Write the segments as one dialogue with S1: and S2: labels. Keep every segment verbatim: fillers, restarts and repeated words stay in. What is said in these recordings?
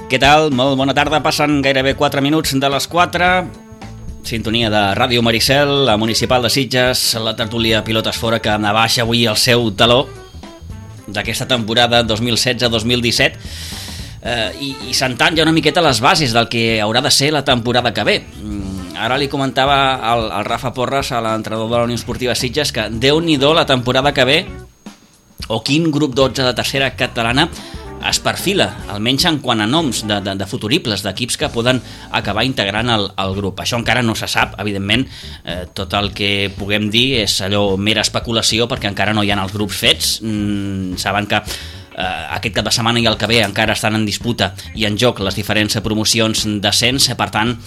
S1: Què tal? Molt bona tarda, passen gairebé quatre minuts de les quatre. Sintonia de Ràdio Maricel, la Municipal de Sitges, la tertúlia Pilotes Fora, que abaixa avui el seu taló d'aquesta temporada dos mil setze dos mil disset, eh, i, i sentant ja una miqueta les bases del que haurà de ser la temporada que ve. Ara li comentava al, al Rafa Porres, a l'entrenador de la Unió Esportiva Sitges, que déu-n'hi-do la temporada que ve, o quin grup dotze de tercera catalana es perfila, almenys en quant a noms de, de, de futuribles, d'equips que poden acabar integrant el, el grup. Això encara no se sap, evidentment, eh, tot el que puguem dir és allò mera especulació, perquè encara no hi ha els grups fets. Mm, saben que eh, aquest cap de setmana i el que ve encara estan en disputa i en joc les diferents promocions d'ascens, per tant,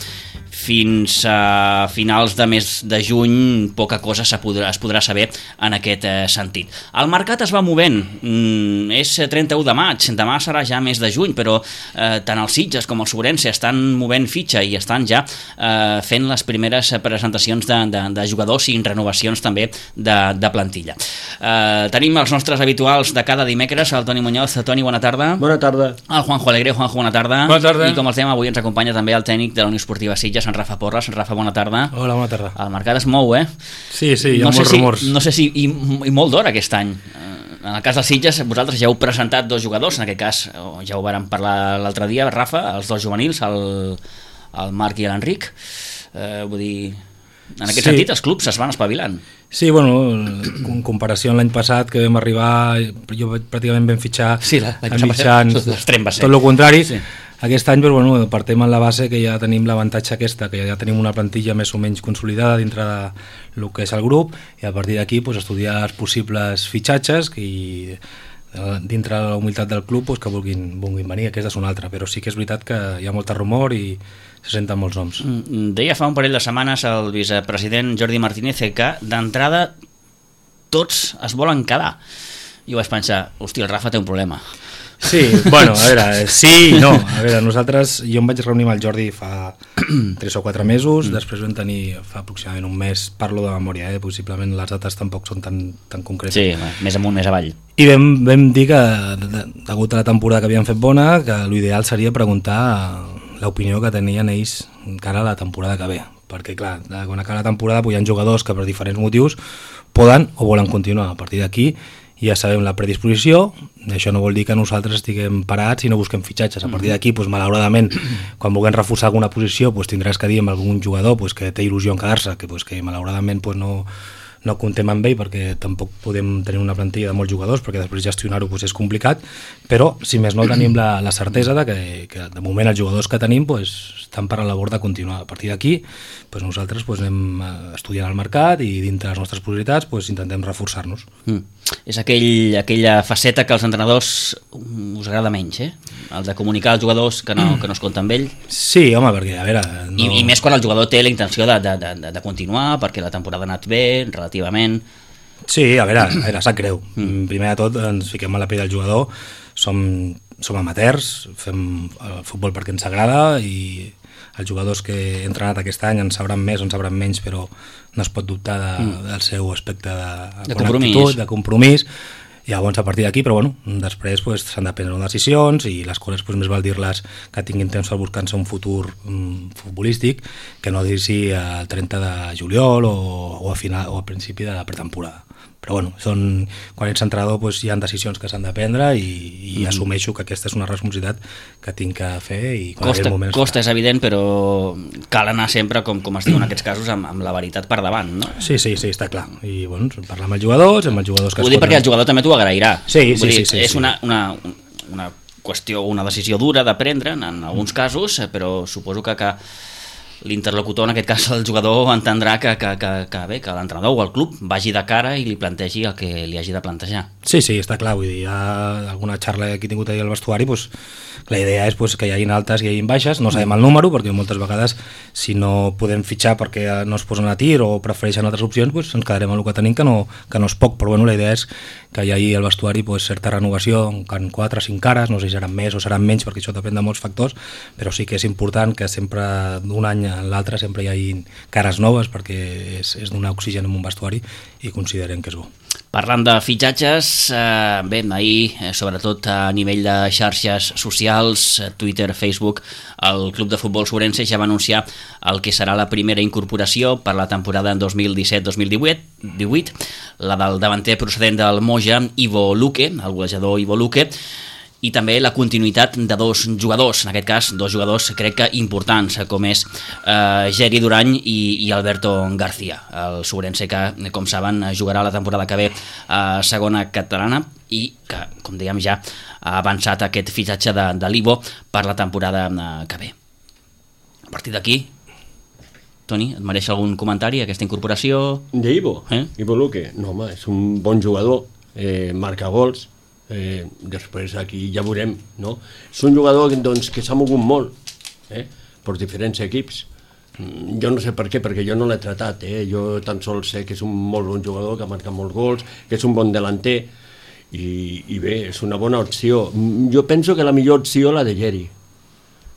S1: fins a finals de mes de juny poca cosa es podrà, es podrà saber en aquest eh, sentit. El mercat es va movent, mm, és trenta-u de maig, demà serà ja mes de juny, però eh, tant els Sitges com els Ourense estan movent fitxa i estan ja eh, fent les primeres presentacions de, de, de jugadors i renovacions també de, de plantilla. Eh, tenim els nostres habituals de cada dimecres, el Toni Muñoz. Toni, bona tarda.
S2: Bona tarda.
S1: El Juanjo Alegre. Juanjo, bona tarda.
S2: Bona tarda.
S1: I com els dèiem, avui ens acompanya també el tècnic de la Unió Esportiva Sitges, en Rafa Porres. Rafa, bona tarda.
S2: Hola, bona tarda.
S1: El mercat es mou, eh?
S2: Sí, sí, hi ha
S1: no
S2: molts
S1: si,
S2: rumors.
S1: No sé si... I, i molt d'hora aquest any. En el cas dels Sitges, vosaltres ja heu presentat dos jugadors, en aquest cas, ja ho vàrem parlar l'altre dia, Rafa, els dos juvenils, el, el Marc i l'Enric. Eh, vull dir... En aquest sí. sentit, els clubs es van espavilant.
S2: Sí, bueno, en comparació amb l'any passat, que vam arribar, jo pràcticament vam fitxar
S1: sí, la,
S2: a mitjans, tot el contrari. Sí. Aquest any, però, bueno, partem en la base que ja tenim l'avantatge aquesta, que ja tenim una plantilla més o menys consolidada dintre del que és el grup, i a partir d'aquí pues, estudiar els possibles fitxatges i dintre de la humilitat del club pues, que vulguin, vulguin venir, aquesta és una altra, però sí que és veritat que hi ha molta rumor i se senten molts noms.
S1: Deia fa un parell de setmanes el vicepresident Jordi Martínez que d'entrada tots es volen quedar. I vaig pensar, hòstia, el Rafa té un problema.
S2: Sí, bueno, a veure, sí i no. A veure, nosaltres, jo em vaig reunir amb el Jordi fa tres o quatre mesos, mm. després vam tenir fa aproximadament un mes, parlo de memòria, eh? Possiblement les dates tampoc són tan, tan concretes.
S1: Sí, més amunt, més avall.
S2: I vam, vam dir que, degut a la temporada que havíem fet bona, que l'ideal seria preguntar l'opinió que tenien ells encara a la temporada que ve. Perquè, clar, quan acaba la temporada hi ha jugadors que per diferents motius poden o volen continuar. A partir d'aquí ja sabem la predisposició, això no vol dir que nosaltres estiguem parats i no busquem fitxatges. A partir d'aquí, doncs, malauradament, quan vulguem reforçar alguna posició, doncs, tindràs que dir amb algun jugador doncs, que té il·lusió en quedar-se, que, doncs, que malauradament doncs, no, no comptem amb ell perquè tampoc podem tenir una plantilla de molts jugadors perquè després gestionar-ho doncs, és complicat, però si més no tenim la, la certesa de que, que de moment els jugadors que tenim doncs, estan per la labor de continuar. A partir d'aquí doncs, nosaltres doncs, anem estudiant el mercat i dintre les nostres possibilitats doncs, intentem reforçar-nos.
S1: Mm. És aquell, aquella faceta que als entrenadors us agrada menys, eh? El de comunicar als jugadors que no, que no es compta amb ell.
S2: Sí, home, perquè a veure... No...
S1: I, I més quan el jugador té la intenció de, de, de, de continuar, perquè la temporada ha anat bé, relativament...
S2: Sí, a veure, a veure, sap greu. Mm. Primer de tot ens fiquem a la pell del jugador, som, som amateurs, fem el futbol perquè ens agrada i els jugadors que he entrenat aquest any en sabran més o en sabran menys, però no es pot dubtar de, mm. del seu aspecte de,
S1: de compromís.
S2: Actitud, de compromís. I llavors a partir d'aquí, però bueno, després pues, s'han de prendre decisions i les coses pues, més val dir-les que tinguin temps per buscar-se un futur um, futbolístic que no dir-s'hi al trenta de juliol o, o, a final, o a principi de la pretemporada. Però bueno, són, quan ets entrenador pues, hi ha decisions que s'han de prendre i, i mm. assumeixo que aquesta és una responsabilitat que tinc que fer. I
S1: costa, costa és evident, però cal anar sempre, com, com es diu en aquests casos, amb, amb la veritat per davant, no?
S2: Sí, sí, sí, està clar. I bueno, parlar amb els jugadors, amb els jugadors que...
S1: Ho dic perquè el jugador també t'ho agrairà.
S2: Sí, sí,
S1: dir,
S2: sí, sí.
S1: És
S2: sí.
S1: Una, una, una qüestió, una decisió dura de prendre en, en alguns casos, però suposo que... que l'interlocutor, en aquest cas el jugador, entendrà que, que, que, que bé, que l'entrenador o el club vagi de cara i li plantegi el que li hagi de plantejar.
S2: Sí, sí, està clar, vull dir, hi ha alguna xarra que he tingut ahir al vestuari, doncs, la idea és doncs, que hi hagin altes i hi hagin baixes, no sabem el número, perquè moltes vegades si no podem fitxar perquè no es posen a tir o prefereixen altres opcions, doncs ens quedarem amb el que tenim, que no, que no és poc, però bueno, la idea és que hi hagi al vestuari pues, certa renovació, en quatre o cinc cares, no sé si seran més o seran menys, perquè això depèn de molts factors, però sí que és important que sempre d'un any a l'altre sempre hi hagi cares noves, perquè és, és donar oxigen en un vestuari i considerem que és bo.
S1: Parlant de fitxatges, eh, bé, ahir, eh, sobretot a nivell de xarxes socials, Twitter, Facebook, el Club de Futbol Sobrense ja va anunciar el que serà la primera incorporació per la temporada dos mil disset dos mil divuit, la del davanter procedent del Moja, Ivo Luque, el golejador Ivo Luque, i també la continuïtat de dos jugadors, en aquest cas dos jugadors crec que importants, com és eh, Geri Durany i, i Alberto García, el sobrense que, com saben, jugarà la temporada que ve a segona catalana i que, com dèiem ja, ha avançat aquest fitxatge de, de l'Ivo per la temporada que ve. A partir d'aquí, Toni, et mereix algun comentari aquesta incorporació?
S3: De Ivo?
S1: Eh?
S3: Ivo Luque? No, home, és un bon jugador, eh, marca gols. Eh, després aquí ja veurem, no? És un jugador doncs, que s'ha mogut molt eh, per diferents equips. Jo no sé per què, perquè jo no l'he tratat, eh? Jo tan sols sé que és un molt bon jugador, que marca molts gols, que és un bon delanter i, i bé, és una bona opció. Jo penso que la millor opció la de Geri.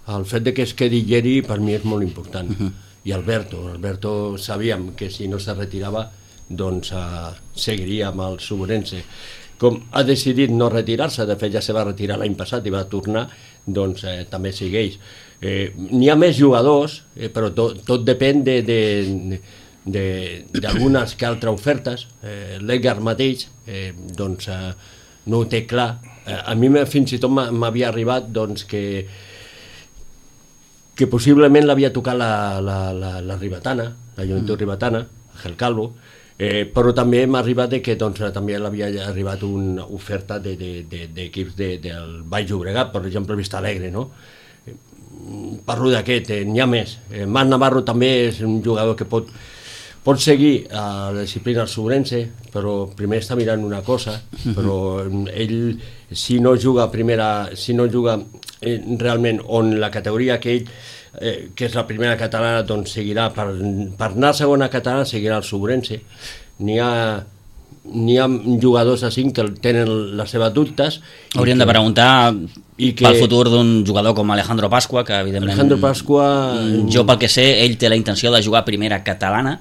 S3: El fet de que es quedi Geri per mi és molt important. Uh-huh. I Alberto, Alberto sabíem que si no se retirava doncs uh, seguiria amb el Sobrense. Com ha decidit no retirar-se, de fet ja se va retirar l'any passat i va tornar, doncs eh, també segueix. Eh, N'hi ha més jugadors, eh, però tot, tot depèn d'algunes que altres ofertes. Eh, L'Edgar mateix eh, doncs, eh, no ho té clar. Eh, a mi fins i tot m'havia arribat doncs, que, que possiblement l'havia tocat la, la, la, la Ribetana, la Joventut mm. Ribetana, Ángel Calvo, Eh, però també m'ha arribat que doncs, també l'havia arribat una oferta d'equips de, de, de, de, del Baix Llobregat, per exemple Vista Alegre, no? Eh, parlo d'aquest, eh, n'hi ha més. Eh, Marc Navarro també és un jugador que pot, pot seguir a la disciplina Sobrense, però primer està mirant una cosa, però ell si no juga primera, si no juga eh, realment on la categoria que ell Eh, que és la primera catalana, doncs seguirà per, per anar a segona catalana seguirà el Sobrense. N'hi ha n'hi ha jugadors així que tenen les seves dubtes.
S1: Hauríem
S3: que,
S1: de preguntar i que, pel futur d'un jugador com Alejandro Pascua, que evidentment
S3: Alejandro Pascua,
S1: jo pel que sé, ell té la intenció de jugar a primera catalana,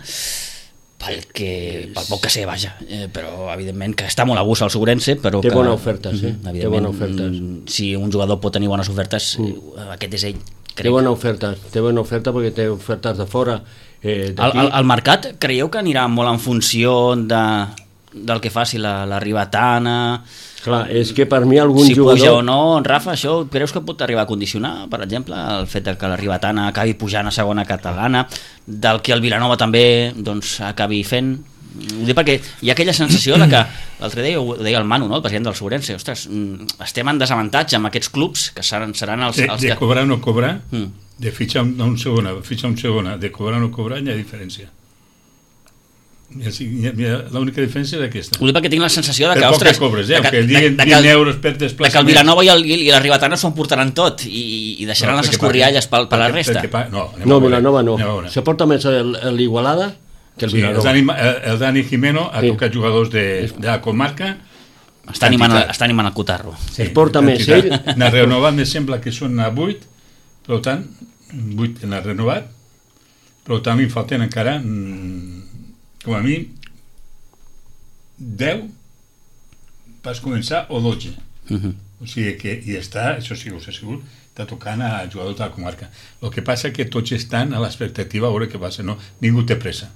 S1: pel, que, pel poc que sé, vaja, eh, però evidentment que està molt a gust al Sobrense, però
S3: té
S1: que,
S3: bona oferta, sí.
S1: Evidentment, té bona oferta. Si un jugador pot tenir bones ofertes, mm. aquest és ell. Crec.
S3: Té bona oferta, té bona oferta perquè té ofertes de fora. Eh,
S1: el, el, el mercat creieu que anirà molt en funció de, del que faci la, la Ribetana?
S3: Clar, és que per mi algun
S1: si
S3: jugador...
S1: Si puja o no, Rafa, això creus que pot arribar a condicionar, per exemple, el fet de que la Ribetana acabi pujant a segona catalana, del que el Vilanova també doncs, acabi fent? Ho dic perquè hi ha aquella sensació de que l'altre dia ho deia el Manu, no? El president del Sobrense, ostres, estem en desavantatge amb aquests clubs que seran, seran els,
S4: de,
S1: els
S4: de
S1: que...
S4: cobrar o no cobrar,
S1: mm.
S4: de fitxar un segona, fitxar un segona, de cobrar o no cobrar, hi ha diferència. L'única diferència és aquesta.
S1: Ho dic perquè tinc la sensació de que,
S4: per
S1: ostres,
S4: que cobres, eh?
S1: de que,
S4: que diguen
S1: de, de,
S4: vint euros per desplaçament,
S1: de que el Vilanova i, el, i la Ribetana s'ho emportaran tot i, i deixaran no, les escorrialles per, per la resta.
S3: Pa, no, no Vilanova no. Se porta més l'Igualada que el Vilanova.
S4: Sí, el, el Dani Jimeno ha sí. tocat jugadors de, de la comarca.
S1: Està animant, està animant el cotarro.
S3: Sí, es porta més ell.
S4: En el renovat me sembla que són a vuit, per tant, vuit en el renovat, però tant li falten encara, com a mi, deu vas començar o dotze. Uh-huh. O sigui que i està, això sí, us asseguro, està tocant a jugadors de la comarca. El que passa és que tots estan a l'expectativa a veure què passa, no? Ningú té pressa.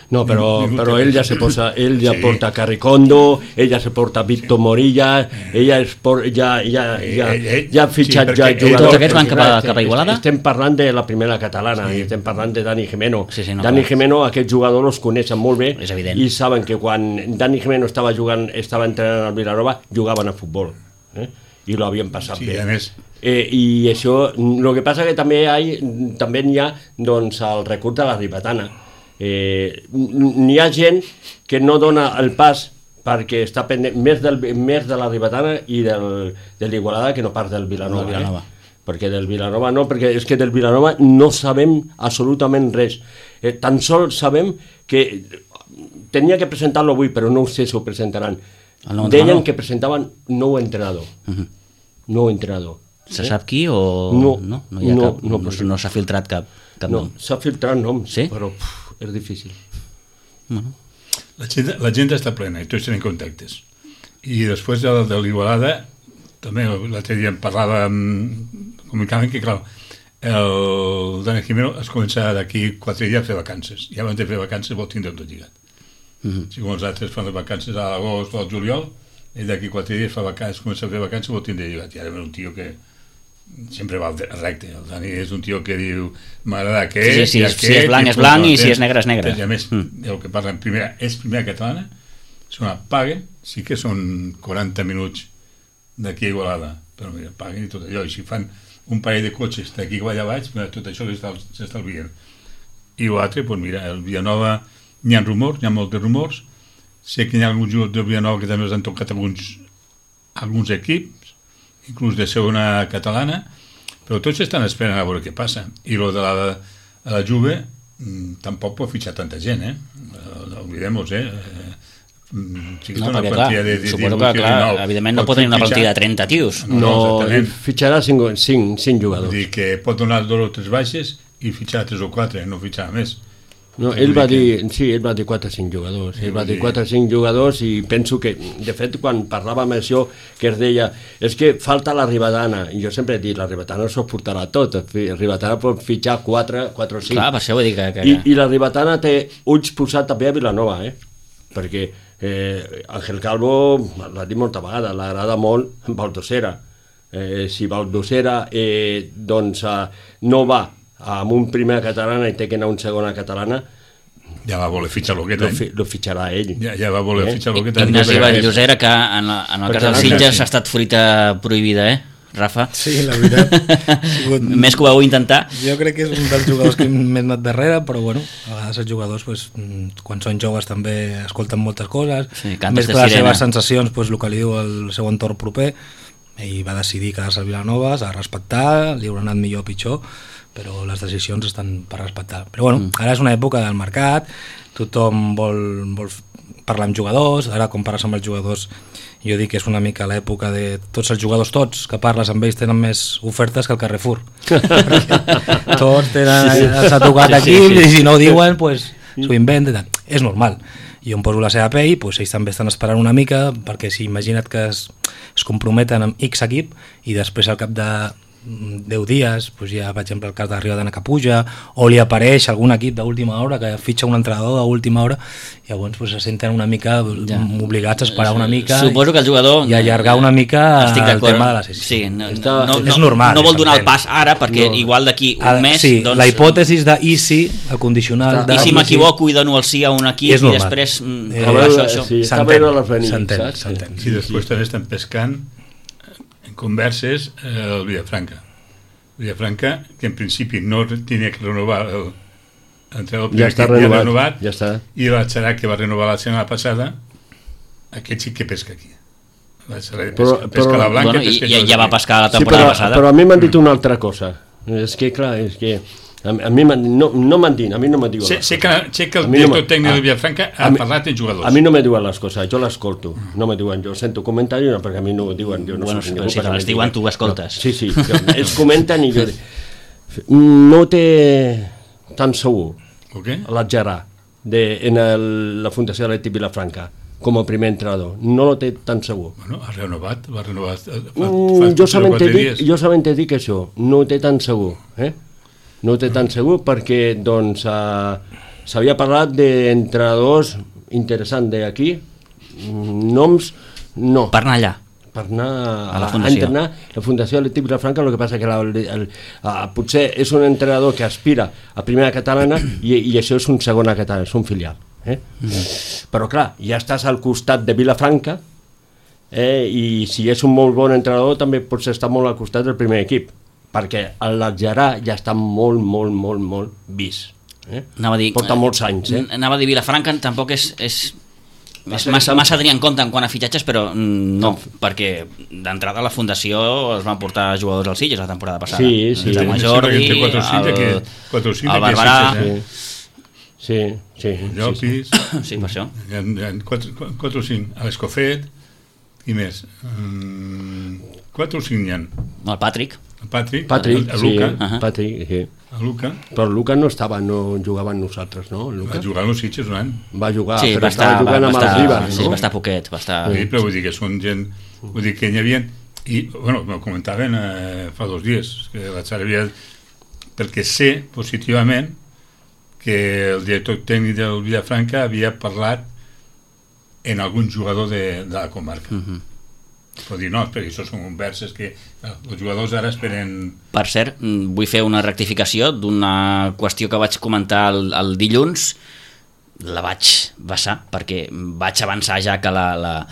S3: No, però, ningú, ningú però ell ja se posa, ell ja sí. porta Carricondo, ell ja se porta Víctor Morilla, ella es por, ja, ja, ja, ja ha fitxat sí, ja jugadors.
S1: Tots aquests van cap a, cap a Igualada?
S3: Estem parlant de la primera catalana, sí. estem parlant de Dani Jimeno.
S1: Sí, sí, no,
S3: Dani Jimeno, aquests jugadors els coneixen molt bé
S1: i
S3: saben que quan Dani Jimeno estava jugant, estava entrenant al Vilanova, jugaven a futbol. Eh? I lo havien passat
S4: sí,
S3: bé.
S4: A més.
S3: Eh, I això, el que passa que també, hi ha, també hi ha doncs, el recurs de la Ribetana. Eh, n'hi ha gent que no dona el pas perquè està pendent més, del, més de la Ribetana i del, de l'Igualada que no pas del Vilanova,
S1: no, Vilanova.
S3: Eh? Perquè del Vilanova no, perquè és que del Vilanova no sabem absolutament res. Eh, tan sols sabem que tenia que presentar-lo avui, però no sé si ho presentaran.
S1: nou
S3: deien
S1: entrenador.
S3: que presentaven nou entrenador.
S1: Uh-huh.
S3: Nou entrenador.
S1: Se sap qui o
S3: No,
S1: no? No, hi ha
S3: no,
S1: cap,
S3: no,
S1: no,
S3: perquè-
S1: no s'ha filtrat cap, cap
S3: No,
S1: nom.
S3: s'ha filtrat noms,
S1: Sí?
S3: però puf, és difícil.
S1: Bueno.
S4: La gent, la gent està plena i tots tenen contactes. I després de, de l'Igualada, també l'altre dia em parlava, amb, comunicaven que, clar, el Dani Jimeno es comença d'aquí quatre dies a fer vacances. I abans de fer vacances vol tindre tot lligat.
S1: Uh-huh.
S4: Si com els altres fan les vacances a l'agost o al juliol, ell d'aquí quatre dies fa vacances, comença a fer vacances vol tindre lligat. I ara ve un tio que sempre va recte. El Dani és un tio que diu m'agrada aquest,
S1: Sí, sí, sí,
S4: i
S1: si
S4: aquest,
S1: és blanc
S4: i
S1: és blanc
S4: punt,
S1: i si és negre és negre.
S4: I a més,
S1: Mm.
S4: el que parla en primera és primera catalana, són una paguen, sí que són quaranta minuts d'aquí a Igualada, però mira, paguen i tot allò, i si fan un parell de cotxes d'aquí a allà baix, mira, tot això s'estalvien. I l'altre, doncs mira, el Villanova, n'hi ha rumors, n'hi ha molts de rumors, sé que hi ha alguns jugadors del Villanova que també els han tocat alguns, alguns equips, inclús de segona catalana, però tots estan esperant a veure què passa. I lo de la, a la Juve mm, tampoc pot fitxar tanta gent, eh? No oblidem-nos, eh? Mm, sí que
S1: No,
S4: té una
S1: perquè clar,
S4: plantilla de, de
S1: suposo
S4: divuit
S1: que
S4: i
S1: clar,
S4: dinou.
S1: evidentment no
S4: Pot
S1: pot tenir una
S4: fitxar-
S1: plantilla de trenta tios.
S4: No,
S3: No,
S4: exactament.
S3: fitxarà cinc, cinc, cinc
S4: Vull
S3: jugadors.
S4: dir que pot donar dos o tres baixes i fitxar tres o quatre, no fitxar més.
S3: No,
S4: Vull
S3: ell va
S4: dir
S3: dir, sí, ell va dir quatre o cinc jugadors, ell va dir quatre o cinc jugadors i penso que, de fet, quan parlàvem això, que es deia, és que falta la Ribadana, i jo sempre he dit, la Ribadana s'ho portarà tot, la Ribadana pot fitxar quatre, quatre o cinc.
S1: Clar, per això vull dir que... que...
S3: I, I la Ribadana té ulls posats també a Vilanova, eh? Perquè eh, Ángel Calvo, l'ha dit molta vegada, l'agrada molt Baldosera. Eh, si Baldosera eh, doncs, eh, no va amb un primer catalana i té que anar un segona catalana,
S4: Ja va voler fitxar
S3: lo,
S4: l'Oqueta,
S3: fi,
S4: eh?
S3: lo fitxarà ell.
S4: Ja, ja va voler
S3: Eh?
S4: fitxar l'Oqueta.
S1: Ignasi Vallllosera, que en, la, en el cas
S3: Perquè
S1: dels
S3: l'Àngel-
S1: Sitges ha estat fruita prohibida, eh, Rafa?
S2: Sí, la veritat. Ha sigut...
S1: Més que ho vau intentar.
S2: Jo crec que és un dels jugadors que m'he anat darrere, però bueno, a vegades els jugadors, pues, quan són joves també escolten moltes coses,
S1: Sí, cantes
S2: més
S1: de
S2: que les
S1: sirena.
S2: seves sensacions, pues, el que li diu el seu entorn proper, ell va decidir quedar-se a Vilanova, s'ha de respectar, li haurà anat millor o pitjor, però les decisions estan per respectar. Però bueno, ara és una època del mercat, tothom vol, vol parlar amb jugadors, ara quan parles amb els jugadors jo dic que és una mica l'època de tots els jugadors, tots, que parles amb ells tenen més ofertes que el Carrefour. Tots tenen, s'ha tocat
S1: Sí,
S2: aquí,
S1: sí, sí.
S2: i si no ho diuen, pues, s'ho inventen. Tal. És normal. Jo em poso la seva pell, pues, ells també estan esperant una mica, perquè si imagina't que es, es comprometen amb X equip i després al cap de deu dies, doncs hi ha, per exemple, el cas de Riodana que puja, o li apareix algun equip d'última hora que fitxa un entrenador d'última hora, i llavors doncs, se senten una mica
S1: Ja.
S2: obligats a esperar una mica
S1: Suposo que el jugador...
S2: i allargar una mica
S1: Estic
S2: el
S1: d'acord.
S2: tema de la sessió.
S1: Sí, no,
S3: Està-
S1: no, no,
S2: és normal,
S1: no vol donar el
S2: s'entén.
S1: pas ara, perquè
S3: No.
S1: igual d'aquí un
S2: Ah,
S1: mes...
S2: sí,
S1: doncs,
S2: la hipòtesis de i si, el condicional de...
S1: I si m'equivoco i dono el sí a un equip
S2: És
S1: i
S2: normal.
S1: després... mm,
S2: Eh,
S3: A
S1: però
S3: veure,
S1: això, això.
S3: sí, està
S2: S'entén,
S3: bé les venir,
S2: s'entén,
S3: saps?
S2: s'entén.
S4: I després també estan pescant en converses eh, el Villafranca. Villafranca, que en principi no tenia que renovar el, l'entrenador
S3: Ja
S4: primer
S3: està
S4: equip,
S3: renovat,
S4: renovat,
S3: ja està.
S4: i la Xarà, que va renovar la setmana passada, aquest sí que pesca aquí. La Xarà
S3: Però-
S4: pesca, pesca
S3: però-
S4: la blanca,
S1: Bueno, i,
S4: pesca
S1: i,
S4: aquí.
S1: ja va pescar la
S3: Sí,
S1: temporada
S3: però,
S1: passada.
S3: però a mi m'han dit una altra cosa. És que, clar, és que a, a mi m'han dit, no, no m'han dit, a mi no me diuen
S4: Sé,
S3: les
S4: sé,
S3: coses.
S4: que, sé que el
S3: A mi no
S4: director
S3: me-
S4: tècnic
S3: a-
S4: de Villafranca
S3: a
S4: ha
S3: mi-
S4: parlat amb jugadors.
S3: A mi no me diuen les coses, jo l'escolto. No me diuen, jo sento comentaris, no, perquè a mi no ho diuen. Jo no
S1: Bueno,
S3: soc
S1: però
S3: ningú
S1: si te
S3: per
S1: les
S3: dir-
S1: diuen, tu ho escoltes.
S3: No, sí, sí, jo, ells comenten i jo dic, no ho té tan segur
S4: O què?
S3: l'Adjarà de, en el, la Fundació Atlètic Vilafranca com a primer entrenador. No lo té tan segur.
S4: Bueno, ha renovat, va renovar fa, fa,
S3: Mm,
S4: fa
S3: jo
S4: tres o
S3: solament
S4: quatre
S3: dic,
S4: dies.
S3: jo solament dic això, no ho té tan segur, eh? No ho té tan segur perquè doncs uh, s'havia parlat d'entrenadors interessants d'aquí, mm, noms no,
S1: Per anar allà.
S3: per anar
S1: A la
S3: a, a
S1: fundació.
S3: entrenar la Fundació Atlètic Vilafranca. El que passa que la, el, el, uh, potser és un entrenador que aspira a primera catalana i, i això és un segona catalana, és un filial, eh? Mm. Però clar, ja estàs al costat de Vilafranca, eh, i si és un molt bon entrenador també pots estar molt al costat del primer equip, perquè l'Adjarà ja està molt, molt, molt, molt vist, eh?
S1: Anava a dir,
S3: Porta molts anys, eh?
S1: Anava a dir Vilafranca, tampoc és, és, és
S3: Massa-
S1: massa, massa a tenir en compte en quant a fitxatges, però mm, no, perquè d'entrada a la Fundació es van portar jugadors als Sitges la temporada passada.
S3: Sí, sí.
S1: El Jaume
S4: Sí,
S1: Jordi,
S4: sí, quatre o cinc
S1: el,
S4: d'aquí- quatre o cinc
S1: el
S4: d'aquí a
S1: Barberà...
S4: Sitges, eh?
S3: Sí, sí, sí, sí, sí.
S4: Llopis,
S1: Sí, per això.
S4: hi ha, hi ha quatre, quatre o cinc, a l'Escofet, Qui més? Um, quatre o cinc n'hi ha.
S1: El Patrick.
S4: El Patrick,
S3: Patrick,
S4: el, el
S3: sí,
S4: Luca.
S1: Ahà.
S3: Patrick, sí.
S4: El Luca
S3: Però el Luca no estava, no jugava amb nosaltres, no? El
S4: va
S3: Luca
S4: jugar als Sitges un any.
S3: va jugar,
S1: Sí,
S3: però
S1: va estar,
S3: estava
S1: va,
S3: jugant
S1: va
S3: amb
S1: estar,
S3: els Ribas,
S1: sí,
S3: no?
S1: va estar poquet, va estar...
S4: Sí, però vull dir que són gent... Vull dir que n'hi havia... I, bueno, m'ho comentaven eh, fa dos dies, que vaig arribar... Perquè sé positivament que el director tècnic del Vilafranca havia parlat en algun jugador de, de la comarca.
S1: Uh -huh.
S4: Però dir, no, perquè això són converses que eh, els jugadors ara esperen...
S1: Per cert, mm, vull fer una rectificació d'una qüestió que vaig comentar el, el dilluns. La vaig vessar, perquè vaig avançar ja que la, la,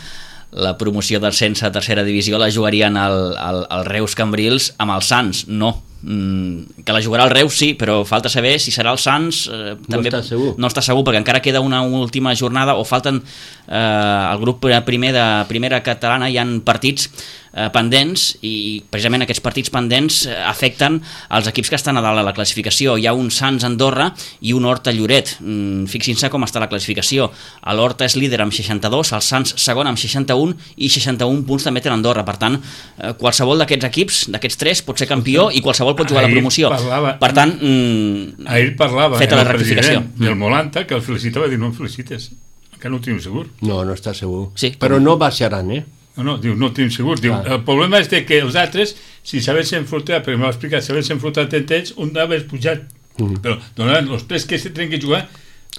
S1: la promoció del Sense a tercera divisió la jugarien al, al, al Reus Cambrils amb el Sants. No, mm, que la jugarà el Reus sí, però falta saber si serà el Sants. Eh,
S3: No
S1: també
S3: està segur.
S1: no està segur, perquè encara queda una última jornada, o falten eh, el grup primer de primera catalana, hi han partits eh, pendents, i precisament aquests partits pendents eh, afecten els equips que estan a dalt a la classificació. Hi ha un Sants Andorra i un Horta Lloret. Mm, fixin-se com està la classificació. L'Horta és líder amb seixanta-dos, el Sants segon amb seixanta-un, i seixanta-un punts també té l'Andorra. Per tant, eh, qualsevol d'aquests equips, d'aquests tres, pot ser campió i qualsevol pot jugar a la
S4: Ahir
S1: promoció.
S4: parlava-
S1: Per tant, mm,
S4: Ahir parlava
S1: feta
S4: el
S1: la rectificació.
S4: president del Molanta, que el felicitava, dir, no em felicites, encara no ho tenim segur.
S3: No, no està segur.
S1: Sí,
S3: Però
S1: com-
S3: no baixaran, eh?
S4: No, no, diu, no ho tenim segur. Diu,
S3: Clar.
S4: el problema és de que els altres, si s'haguessin enfrontat, perquè m'ho ha explicat, si s'haguessin enfrontat entre ells, un d'haver pujat.
S3: Mhm.
S4: Però donaran, els tres que se tenen que jugar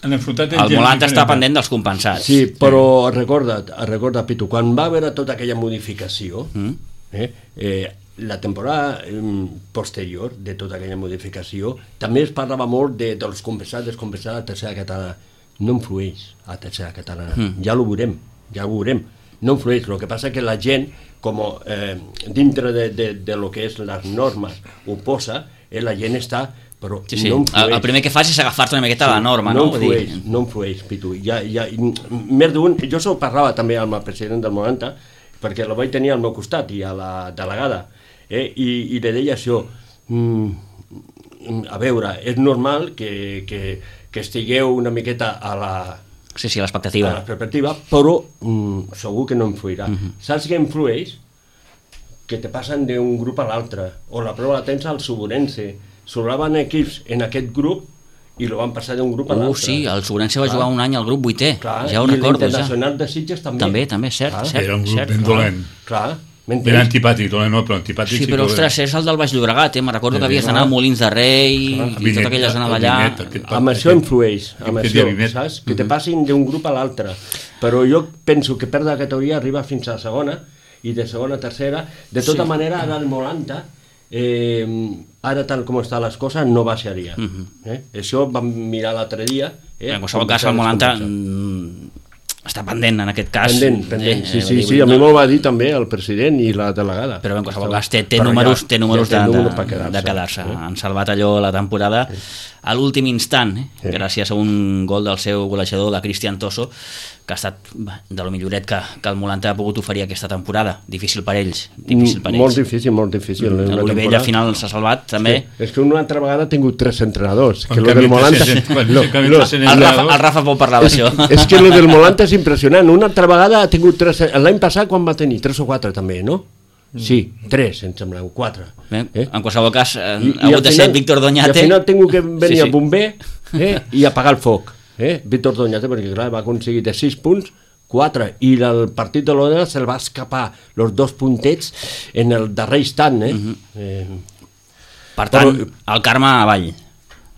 S4: han enfrontat entre
S1: el
S4: ells.
S1: Molanta està pendent dels compensats.
S3: Sí, però recorda't, recorda, Pitu, quan va haver tota aquella modificació,
S1: Mm.
S3: eh, eh, la temporada eh, posterior de tota aquella modificació, també es parlava molt de, dels compensats, descompensats a la tercera catalana. No influeix a la tercera catalana.
S1: Mm.
S3: Ja ho veurem, ja ho veurem. No influeix. El que passa que la gent, com eh, dintre de, de, de lo que és les normes ho posa, eh, la gent està... Però
S1: Sí, sí.
S3: no influeix.
S1: El, el primer que fas és agafar-te una miqueta a la norma, no?
S3: No
S1: Vull
S3: influeix,
S1: dir,
S3: no influeix, Pitu. Ja, ja, més d'un... Jo s'ho parlava també amb el president del Molanta, perquè la vaig tenir al meu costat i a la delegada, eh? I, i li deia això, mm, a veure, és normal que, que, que estigueu una miqueta a la,
S1: sí, sí,
S3: a
S1: l'expectativa.
S3: la perspectiva, però mm, segur que no influirà.
S1: Mhm.
S3: Saps què influeix? Que te passen d'un grup a l'altre, o la prova la tens al Suburense. Sobraven equips en aquest grup i lo van passar d'un grup a
S1: Uh,
S3: l'altre.
S1: sí, el Sobrense va
S3: Clar.
S1: jugar un any al grup vuitè,
S3: Clar,
S1: ja ho
S3: i
S1: recordo, ja.
S3: l'Internacional de Sitges també.
S1: També, també, cert,
S3: Clar.
S1: cert.
S4: Era un grup
S1: cert.
S4: ben dolent.
S3: Clar,
S4: Ben
S3: m'entens?
S4: antipàtic, dolent no, però antipàtic
S1: Sí,
S4: sí,
S1: però
S4: que
S1: ostres, és el del Baix Llobregat, eh? Me recordo que havies d'anar a Molins de Rei i tota aquella zona d'allà.
S3: Amb això influeix, amb
S4: aquest
S3: això,
S4: Vimet.
S3: saps? Que te passin d'un grup a l'altre. Però jo penso que perdre la categoria arriba fins a la segona, i de segona a tercera. De tota
S1: Sí.
S3: manera, ara el Molanta, eh, ara tal com estan les coses, no baixaria. eh? Això vam mirar l'altre dia. Eh?
S1: En qualsevol
S3: Com
S1: cas, el
S3: estan les
S1: Molanta
S3: converses.
S1: mm, està pendent en aquest cas.
S3: Pendent, pendent.
S1: Eh,
S3: Sí,
S1: eh,
S3: sí,
S1: vull
S3: sí,
S1: dir,
S3: a mi
S1: no-
S3: m'ho va dir també el president i la delegada.
S1: Però en qualsevol cas té, té
S3: Però
S1: números,
S3: ja-
S1: té números
S3: ja té
S1: de,
S3: números per
S1: de,
S3: quedar-se,
S1: de quedar-se.
S3: eh?
S1: Han salvat allò la temporada a l'últim instant, eh?
S3: Sí.
S1: gràcies a un gol del seu golejador, de Cristian Tosso, que ha estat bah, de lo milloret que, que el Molanta ha pogut oferir aquesta temporada. Difícil per ells. Difícil per ells.
S3: Molt difícil, molt difícil.
S1: Mm,
S3: Una
S1: L'Olivella
S3: temporada.
S1: al final s'ha salvat, també.
S3: Sí. És que una altra vegada ha tingut tres entrenadors.
S4: Quan
S3: Que lo del
S4: canvia
S3: Molanta...
S4: tres- quan
S3: lo-
S4: canvia
S3: lo-
S4: tres
S1: El Rafa, el Rafa pot parlar
S3: és,
S1: d'això.
S3: és que lo del Molanta és impressionant. Una altra vegada ha tingut tres... L'any passat quan va tenir? Tres o quatre també, no? Sí, tres, em sembla, o quatre.
S1: Bé,
S3: Eh?
S1: En qualsevol cas, eh,
S3: I-
S1: ha
S3: i
S1: hagut
S3: al
S1: de
S3: final-
S1: ser Víctor
S3: I
S1: Doñate.
S3: al final ha tingut que venir
S1: Sí, sí.
S3: el bomber eh? i apagar el foc. Eh? Víctor Doñate, perquè clar, va aconseguir de sis punts, quatre, i el partit de l'Ona se'l va escapar els dos puntets en el darrer instant. Eh?
S1: Mhm.
S3: eh,
S1: Per tant,
S3: Però-
S1: el Carme avall.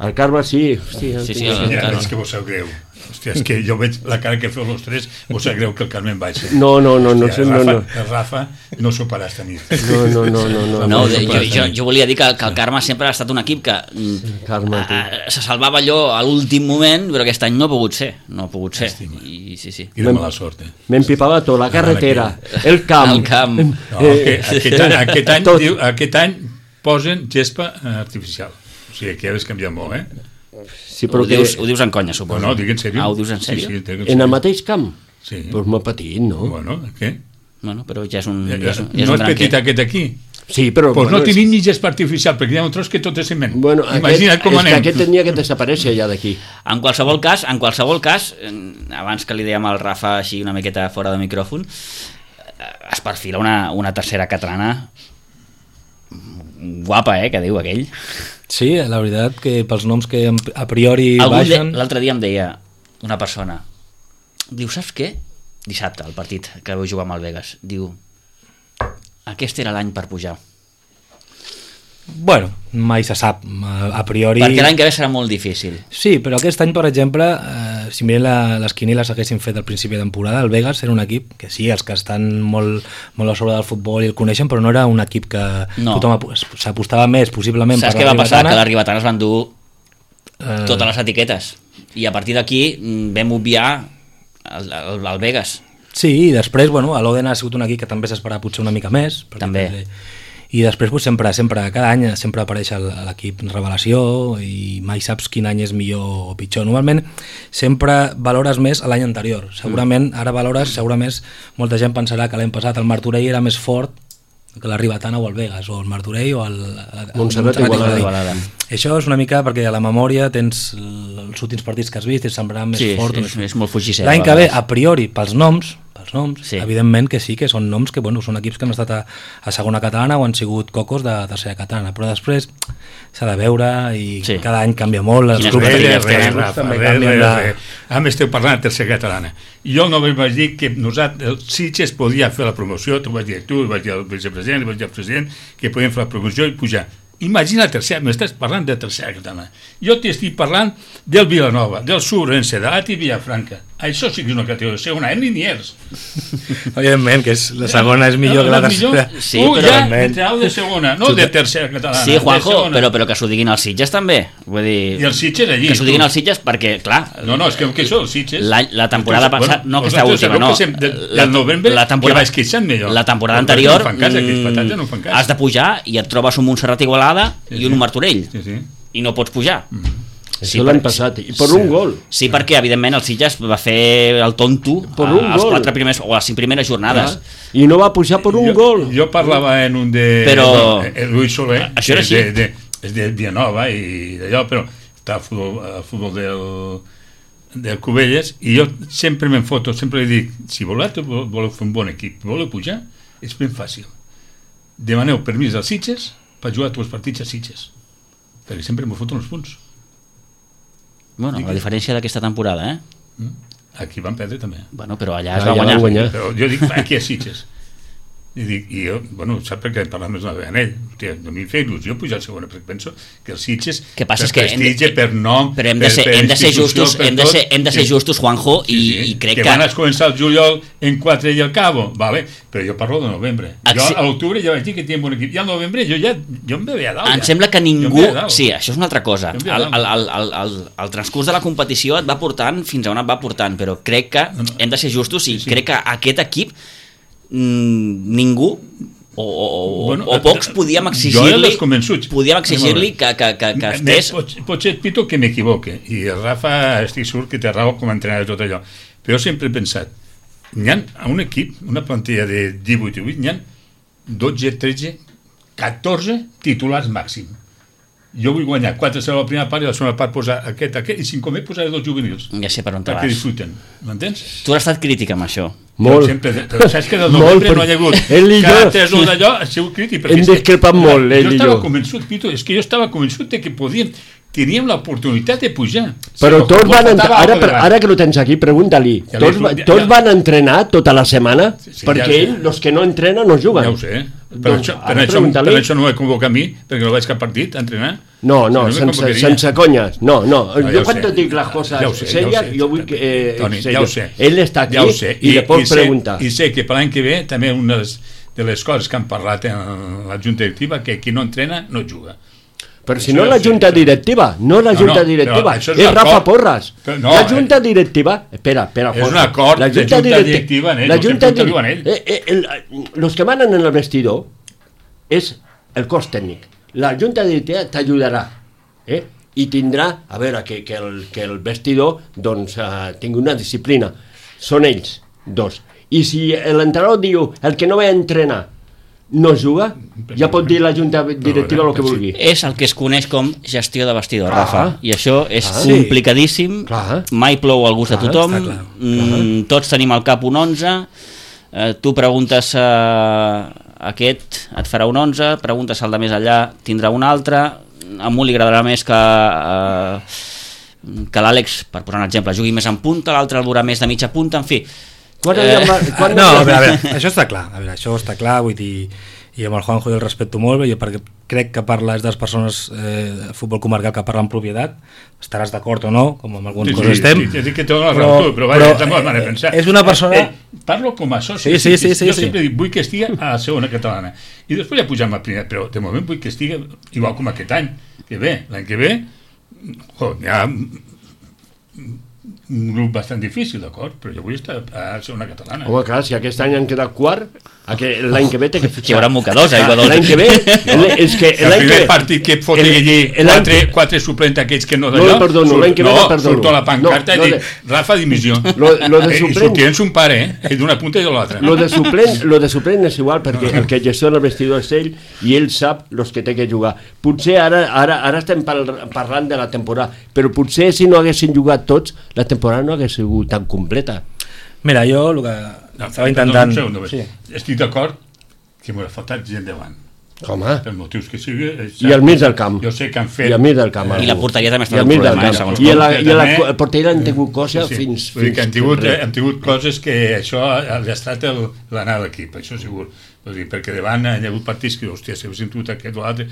S3: el Carme sí, hòstia,
S1: Sí, sí,
S3: tinc-
S1: el-
S4: Ja,
S1: Carme.
S4: és que vos sap greu. Hòstia, és que jo veig la cara que feu els tres, vos sap greu que el Carmen baixi.
S3: No, no, no, no,
S4: Hòstia,
S3: no,
S4: el Rafa,
S3: no.
S4: el Rafa no s'ho farà esta nit.
S3: No, no, no, no, no.
S1: No, de,
S4: no
S1: jo,
S4: passa
S1: jo,
S4: nit.
S1: jo volia dir que, que el Carme sempre ha estat un equip que mm,
S3: Carme, tu.
S1: eh, se salvava allò a l'últim moment, però aquest any no ha pogut ser, no ha pogut ser.
S4: Llàstima.
S1: I, sí, sí.
S4: Quina mala sort, eh?
S3: M'empipava tot, la carretera, el camp.
S1: El camp.
S4: No,
S3: Eh,
S4: aquest, aquest, any, aquest, any,
S3: tot.
S4: diu, aquest any posen gespa eh, artificial. O sigui, que ja has canviat molt, eh?
S3: Sí,
S1: Ho
S3: però que
S1: dius, ho dius en conya,
S4: No,
S1: suposo.
S4: no, dic en sèrio.
S1: Ah, ho dius en sèrio?
S4: Sí, sí, dic en
S3: en
S4: sèrio.
S3: el mateix camp?
S4: Sí.
S3: Doncs pues molt petit, no?
S4: Bueno, què?
S1: Bueno, però ja és un,
S4: Ja,
S1: ja és,
S4: ja,
S1: un- ja és
S4: no
S1: un
S4: és
S1: gran
S4: petit
S1: què.
S4: aquest aquí?
S3: Sí, però...
S4: Doncs no
S3: és-
S4: tenim ni gespa artificial, perquè hi ha un tros que tot és ciment.
S3: Bueno,
S4: Imagina't
S3: aquest,
S4: com
S3: és
S4: anem.
S3: que aquest tenia que desaparèixer ja d'aquí.
S1: En qualsevol cas, en qualsevol cas, eh, abans que li dèiem al Rafa així una miqueta fora de micròfon, es perfila una, una tercera catalana guapa, eh, que diu aquell.
S2: Sí, la veritat que pels noms que a priori
S1: Algun
S2: baixen...
S1: de, l'altre dia em deia una persona, diu, saps què? Dissabte, el partit que vau jugar amb el Vegas, diu, aquest era l'any per pujar.
S2: Bueno, mai se sap, a, a priori...
S1: Perquè l'any que ve serà molt difícil.
S2: Sí, però aquest any, per exemple, eh, si mirem la, les quinieles haguessin fet al principi de temporada, el Vegas era un equip que sí, els que estan molt, molt a sobre del futbol i el coneixen, però no era un equip que
S1: no.
S2: tothom s'apostava més, possiblement,
S1: saps
S2: per
S1: què
S2: la
S1: va passar?
S2: Ribetana.
S1: Que la Ribetana es van dur
S2: Eh...
S1: totes les etiquetes. I a partir d'aquí vam obviar el, el, el Vegas.
S2: Sí, i després, bueno, l'Oden ha sigut un equip que també s'esperava potser una mica més.
S1: També.
S2: I després, pues, sempre, sempre, cada any sempre apareix l'equip revelació i mai saps quin any és millor o pitjor. Normalment sempre valores més l'any anterior. Segurament, ara valores, segurament molta gent pensarà que l'any passat el Martorell era més fort que la Ribetana o el Vegas, o el Martorell o el, el
S3: Montserrat i Igualada.
S2: Això és una mica perquè a la memòria tens els últims partits que has vist i et semblarà més
S1: sí,
S2: fort.
S1: Sí, és, és molt fugissent.
S2: L'any que ve, a priori, pels noms, pels noms
S1: sí.
S2: evidentment que sí, que són noms que bueno, són equips que han estat a, a segona catalana o han sigut cocos de tercera catalana, però després s'ha de veure i sí. cada any canvia molt. Els
S1: clubs
S4: res,
S1: res,
S4: res,
S1: res,
S4: Rafa,
S2: també
S4: res,
S2: canvien
S4: res,
S2: de...
S4: res. Ara m'esteu parlant de tercera catalana. Jo no vaig dir que nosaltres, el Sitges podia fer la promoció, t'ho vaig dir tu, ho vaig dir al vicepresident, ho vaig dir al president, que podien fer la promoció i pujar. Imagina la tercera, m'estàs parlant de tercera catalana. Jo t'estic parlant del Vilanova, del Surense, de l'Ati Villafranca. Això sí que és una categoria segona, en Liniers.
S2: Evidentment, que és, la segona és millor
S4: no,
S2: que la
S4: no,
S2: tercera.
S1: Sí,
S4: uh,
S1: però...
S4: ja, entrau de segona, no de tercera catalana.
S1: Sí, Juanjo, però, però que s'ho diguin els Sitges també. Vull dir,
S4: I els Sitges allí.
S1: que s'ho diguin els Sitges perquè, clar...
S4: No, no, és que, que això, els Sitges...
S1: La, la temporada passada, bueno, no aquesta última, no.
S4: De, del novembre,
S1: la temporada,
S4: que vaig queixant millor.
S1: La temporada anterior
S4: no cas, mm, no
S1: has de pujar i et trobes un Montserrat Igualada sí, i un Martorell.
S4: Sí, sí.
S1: I no pots pujar.
S3: Mm.
S1: Sí,
S3: això l'any passat, i per sí. un gol.
S1: Sí, perquè evidentment el Sitges va fer el tonto
S3: per un
S1: als
S3: gol.
S1: quatre primers, o a les cinc primeres jornades.
S3: Ah, I no va pujar per un
S4: jo,
S3: gol.
S4: Jo parlava en un de...
S1: Però...
S4: El Lluís Soler,
S1: això era així.
S4: De, de, és de Vilanova i d'allò, però està al futbol, al futbol del, del Cubelles, i jo sempre me'n foto, sempre li dic, si voleu, voleu fer un bon equip, voleu pujar, és ben fàcil. Demaneu permís als Sitges per jugar tots els partits a Sitges, perquè sempre m'ho foten els punts.
S1: Bueno, la diferència d'aquesta temporada, eh?
S4: Aquí van perdre també.
S1: Bueno, però allà es
S3: ah,
S1: va guanyar.
S3: guanyar.
S4: Però jo dic, aquí a Sitges. I dic, i jo, bueno, sap perquè parlant més una vegada amb ell, hòstia, no m'hi fa il·lusió pujar a segona, perquè penso que els Sitges,
S1: que passa
S4: per
S1: és que
S4: prestige,
S1: de,
S4: per nom,
S1: però hem de ser,
S4: per, per
S1: hem de ser justos, hem de ser, hem de ser justos, Juanjo,
S4: sí, sí,
S1: i, i crec
S4: que...
S1: que...
S4: van a començar el juliol en quatre i al cabo, vale, però jo parlo de novembre. Jo a l'octubre ja vaig dir que tenia un bon equip, i al novembre jo ja jo em veia a dalt.
S1: Em
S4: ja.
S1: sembla que ningú... Sí, això és una altra cosa. El, el, el, el, el, el transcurs de la competició et va portant fins a on et va portant, però crec que no, no. hem de ser justos i sí, sí. crec que aquest equip mmm, ningú o, o, bueno, o pocs podíem exigir-li podíem exigir-li que, que, que, que estés...
S4: Pot, potser Pito que m'equivoque, i el Rafa estic segur que té raó com a entrenador de tot allò, però jo sempre he pensat, n'hi ha a un equip, una plantilla de divuit i vuit, n'hi ha dotze, tretze, catorze titulars màxim. Jo vull guanyar quatre a la primera part i a la segona part posar aquest, aquest, i si com he posaré dos juvenils.
S1: Ja sé per on te
S4: perquè
S1: vas.
S4: disfruten, m'entens?
S1: Tu has estat crític amb això.
S3: Molt.
S4: Sempre, però saps que del novembre no hi ha hagut cada tres o d'allò, ha sigut crític.
S3: Hem discrepat molt, ell i jo.
S4: Jo estava convençut, Pito, és que jo estava convençut de que podíem, teníem l'oportunitat de pujar.
S3: Però sí, tots van entrenar, ara, ara que lo tens aquí, pregunta-li, ja tots, ja, tots ja. van entrenar tota la setmana? Sí, sí, perquè ja ells, els que no entrenen, no juguen.
S4: Ja ho sé, per, doncs, això, per, això, per això no vaig convocar a mi, perquè no vaig cap partit a entrenar.
S3: No, no, si no sense, sense conyes, no, no, no jo quan te dic les coses
S4: ja sé,
S3: series,
S4: ja sé,
S3: jo vull que... Eh,
S4: Toni, ja ho sé.
S3: Ell està aquí
S4: ja sé.
S3: i, i le pots
S4: i sé,
S3: preguntar.
S4: I sé que per l'any que ve també una de les coses que han parlat en la junta directiva, que qui no entrena no juga.
S3: Però si no la junta directiva, no la junta directiva, és Rafa Porras. La junta directiva, espera, espera.
S4: És un acord de junta directiva en ell,
S3: la junta directiva en ell. Los que manen en el vestidor és el cos tècnic. La junta directiva t'ajudarà, eh? I tindrà, a veure, que, que, el, que el vestidor doncs, uh, tingui una disciplina. Són ells, dos. I si l'entrenador diu el que no ve a entrenar no juga, ja pot dir la junta directiva el que vulgui.
S1: És el que es coneix com gestió de vestidor, ah, Rafa, i això és ah, complicadíssim,
S3: clar.
S1: Mai plou al gust clar, de tothom,
S3: clar, clar.
S1: Mm, tots tenim al cap un onze, eh, tu preguntes a aquest, et farà un onze, preguntes al de més allà, tindrà un altre, a un li agradarà més que, eh, que l'Àlex, per posar un exemple, jugui més en punta, l'altre el veurà més de mitja punta, en fi.
S3: Quan eh... quan
S2: no, a veure, a veure, això està clar, a veure, això està clar, vull dir, i amb el Juanjo jo el respecto molt bé, jo perquè crec que parla és de les persones eh, de futbol comarcal que parla en propietat, estaràs d'acord o no, com amb algunes
S4: sí,
S2: coses
S4: sí,
S2: estem,
S4: sí, sí, que té la raó tu, però, però vaja, també eh, pensar.
S2: És una persona...
S4: Eh, parlo com a soci,
S2: sí, sí, sí, sí,
S4: jo
S2: sí.
S4: sempre dic, vull que estigui a la segona catalana, i després ja pujam a primera, però de moment vull que estigui igual com aquest any, que ve, l'any que ve, jo, hi ha un grup bastant difícil, d'acord? Però jo vull estar a ser una catalana.
S3: Home, clar, si aquest any han quedat quart, l'any que ve té que fitxar.
S1: Hi haurà mocadors, aigua dolça.
S3: L'any que ve... És que
S4: el primer partit que fot allí quatre, quatre suplents aquells que no d'allò...
S3: No, perdono, l'any que ve no, perdono.
S4: Surto a la pancarta i dic, Rafa, dimissió. I sortien un pare, eh? D'una punta i de l'altra.
S3: Lo de suplent, lo de suplent és igual, perquè el que gestiona el vestidor és ell i ell sap els que té que jugar. Potser ara, ara, ara estem parlant de la temporada, però potser si no haguessin jugat tots, la temporada no hagués sigut tan completa.
S2: Mira, jo el que
S4: no,
S2: estava intentant...
S4: No, no, no, sí. Estic d'acord que m'ha faltat gent davant.
S3: Home.
S4: Per motius que sigui...
S3: I al mig del camp.
S4: Jo sé que han fet...
S3: I al mig del camp.
S1: I la porteria també està
S3: un
S1: problema, eh, segons
S3: I a la, i a la, la porteria han tingut cosa sí, sí. fins...
S4: Vull dir que han tingut, hem tingut coses que això ha estat l'anar a l'equip, això segur. Vull dir, perquè davant hi ha hagut partits que, hòstia, si haguéssim tingut aquest o l'altre,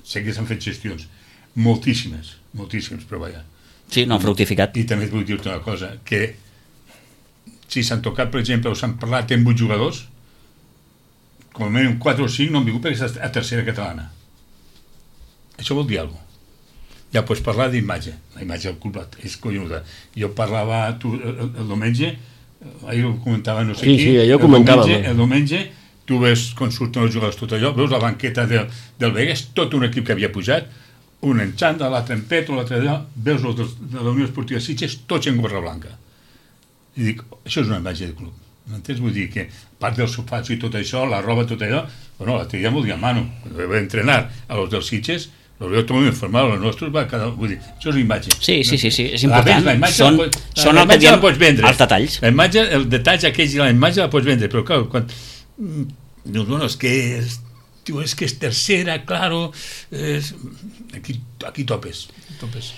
S4: sé que s'han fet gestions. Moltíssimes, moltíssimes, però vaja.
S1: Sí, no han fructificat.
S4: I també vull dir-te una cosa, que si s'han tocat, per exemple, o s'han parlat amb vuit jugadors, com a mínim quatre o cinc no han vingut perquè està a tercera catalana. Això vol dir alguna cosa. Ja pots parlar d'imatge, la imatge del club és collonuda. Jo parlava tu, el, el diumenge, ahir ho comentava no sé
S3: sí,
S4: qui,
S3: sí,
S4: el,
S3: comentava,
S4: diumenge, el diumenge tu ves com surten els jugadors tot allò, veus la banqueta del, del Vegas, tot un equip que havia pujat, un en xanda, l'altre en peto, l'altre allò, veus els de, de la Unió Esportiva Sitges, tots en gorra blanca. I dic, això és una imatge del club. M'entens? Vull dir que, a part dels sofats i tot això, la roba, tot allò, bueno, l'altre dia m'ho dia a mano. Quan vaig entrenar a los dels Sitges, els veu tot informar, els nostres va cada... Vull dir, això és una imatge.
S1: Sí, sí, sí, sí és important.
S4: La, la imatge
S1: són
S4: la, la,
S1: són
S4: la
S1: el que diem
S4: pots vendre.
S1: Els detalls.
S4: La imatge, el detalls aquells i la imatge la pots vendre, però clar, quan... Dius, bueno, és que... És, diu, és que és tercera, claro... És... Aquí, aquí topes, topes.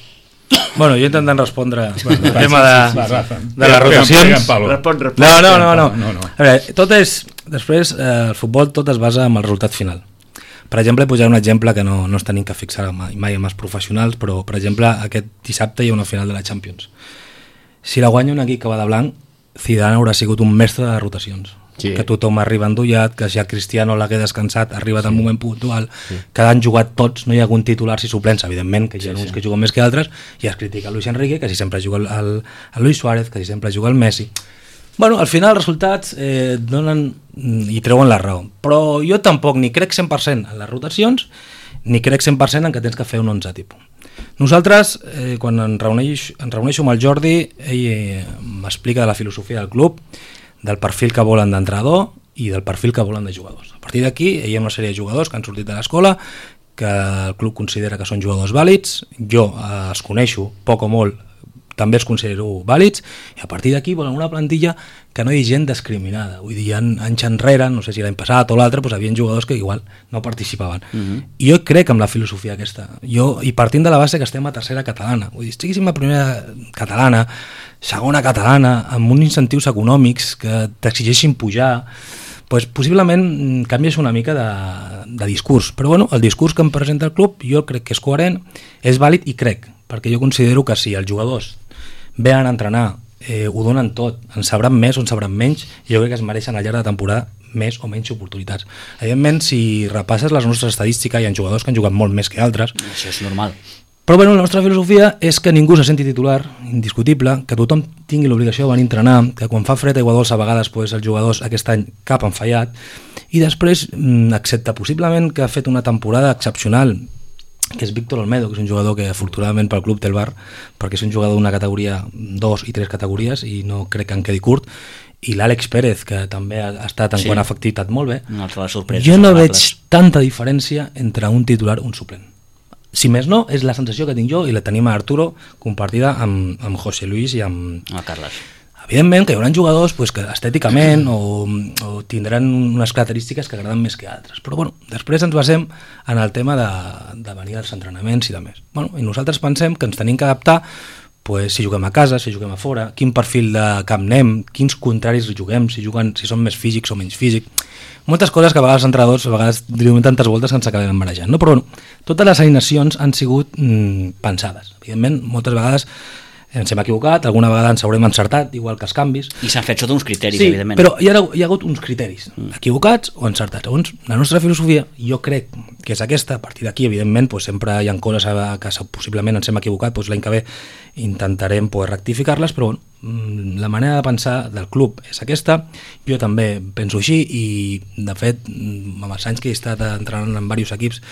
S2: Bueno, jo intentant respondre
S4: bueno,
S2: el tema de,
S4: va, Rafa,
S2: de les rotacions.
S3: Respon, respon.
S2: No, no, no, no.
S4: no, no.
S2: A veure, tot és, després, eh, el futbol tot es basa en el resultat final. Per exemple, posaré un exemple que no, no es tenim que fixar mai, mai amb els professionals, però, per exemple, aquest dissabte hi ha una final de la Champions. Si la guanya un equip que va de blanc, Zidane haurà sigut un mestre de rotacions. Sí. Que tothom arriba endollat, que si el Cristiano l'hagué descansat arriba del sí. moment puntual, sí. que han jugat tots, no hi ha hagut titulars i suplents, evidentment, que hi ha sí, uns sí. que juguen més que altres, i es critica Luis Enrique, que si sempre juga el, el, el Luis Suárez, que si sempre juga el Messi. Bueno, al final els resultats eh, donen i treuen la raó, però jo tampoc ni crec cent per cent en les rotacions, ni crec cent per cent en que tens que fer un onze tipus. Nosaltres, eh, quan em reuneixo, em reuneixo amb el Jordi, ell eh, m'explica de la filosofia del club, del perfil que volen d'entrenador i del perfil que volen de jugadors. A partir d'aquí, hi ha una sèrie de jugadors que han sortit de l'escola, que el club considera que són jugadors vàlids, jo eh, els coneixo poc o molt, també els considero vàlids, i a partir d'aquí volen una plantilla que no hi ha gent discriminada. Vull dir, anys enrere, no sé si l'any passat o l'altre, doncs hi havia jugadors que igual no participaven. Uh-huh. I jo crec en la filosofia aquesta. Jo, i partint de la base que estem a tercera catalana. Vull dir, estiguéssim a primera catalana, segona catalana, amb uns incentius econòmics que t'exigeixin pujar, doncs possiblement canvies una mica de, de discurs. Però bueno, el discurs que em presenta el club jo crec que és coherent, és vàlid i crec, perquè jo considero que si els jugadors venen a entrenar, eh, ho donen tot, en sabran més o en sabran menys, i jo crec que es mereixen al llarg de temporada més o menys oportunitats. Evidentment, si repasses les nostres estadístiques, hi ha jugadors que han jugat molt més que altres.
S1: Això és normal.
S2: Però bueno, la nostra filosofia és que ningú se senti titular, indiscutible, que tothom tingui l'obligació de venir a entrenar, que quan fa fred aigua dolça a vegades pues, els jugadors aquest any cap han fallat, i després, excepte possiblement que ha fet una temporada excepcional, que és Víctor Olmedo, que és un jugador que afortunadament pel club té el bar, perquè és un jugador d'una categoria, dos i tres categories, i no crec que en quedi curt, i l'Àlex Pérez, que també ha estat en sí. quant a efectivitat molt bé.
S1: Sorpresa,
S2: jo no veig tanta diferència entre un titular i un suplent. Si més no, és la sensació que tinc jo, i la tenim a Arturo compartida amb, amb José Luis i amb...
S1: Ah, Carles.
S2: Evidentment que hi haurà jugadors pues, que estèticament o, o tindran unes característiques que agraden més que altres, però bueno, després ens basem en el tema de, de venir als entrenaments i de més. Bueno, i nosaltres pensem que ens tenim que adaptar pues, si juguem a casa, si juguem a fora, quin perfil de camp anem, quins contraris juguem, si juguen, si són més físics o menys físics. Moltes coses que a vegades els entrenadors a vegades diuen tantes voltes que ens acabem barrejant, no? Però bueno, totes les alineacions han sigut mm, pensades. Evidentment, moltes vegades ens hem equivocat, alguna vegada ens haurem encertat, igual que els canvis.
S1: I s'han fet sota uns criteris,
S2: sí,
S1: evidentment.
S2: Però hi ha, hi ha hagut uns criteris, mm. equivocats o encertats. Segons la nostra filosofia, jo crec que és aquesta. A partir d'aquí, evidentment, pues, sempre hi ha coses que possiblement ens hem equivocat, pues, l'any que ve intentarem pues, rectificar-les, però bueno, la manera de pensar del club és aquesta. Jo també penso així i, de fet, amb els anys que he estat entrenant en diversos equips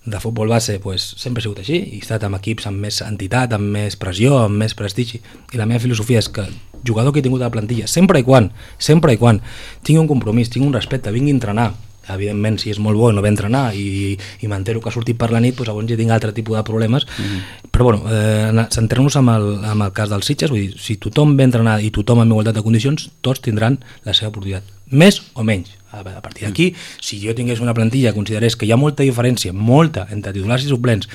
S2: de futbol base pues, sempre he sigut així i he estat amb equips amb més entitat, amb més pressió, amb més prestigi, i la meva filosofia és que el jugador que he tingut a la plantilla, sempre i quan sempre i quan tingui un compromís, tingui un respecte, vingui a entrenar, evidentment si és molt bo i no ve a entrenar i, i m'entero que ha sortit per la nit, doncs llavors ja tinc altre tipus de problemes, mm-hmm. però bueno, eh, centrem-nos amb, el, amb el cas dels Sitges, vull dir, si tothom ve a entrenar i tothom amb igualtat de condicions, tots tindran la seva oportunitat, més o menys. A partir d'aquí, si jo tingués una plantilla que considerés que hi ha molta diferència, molta, entre titulars i suplents,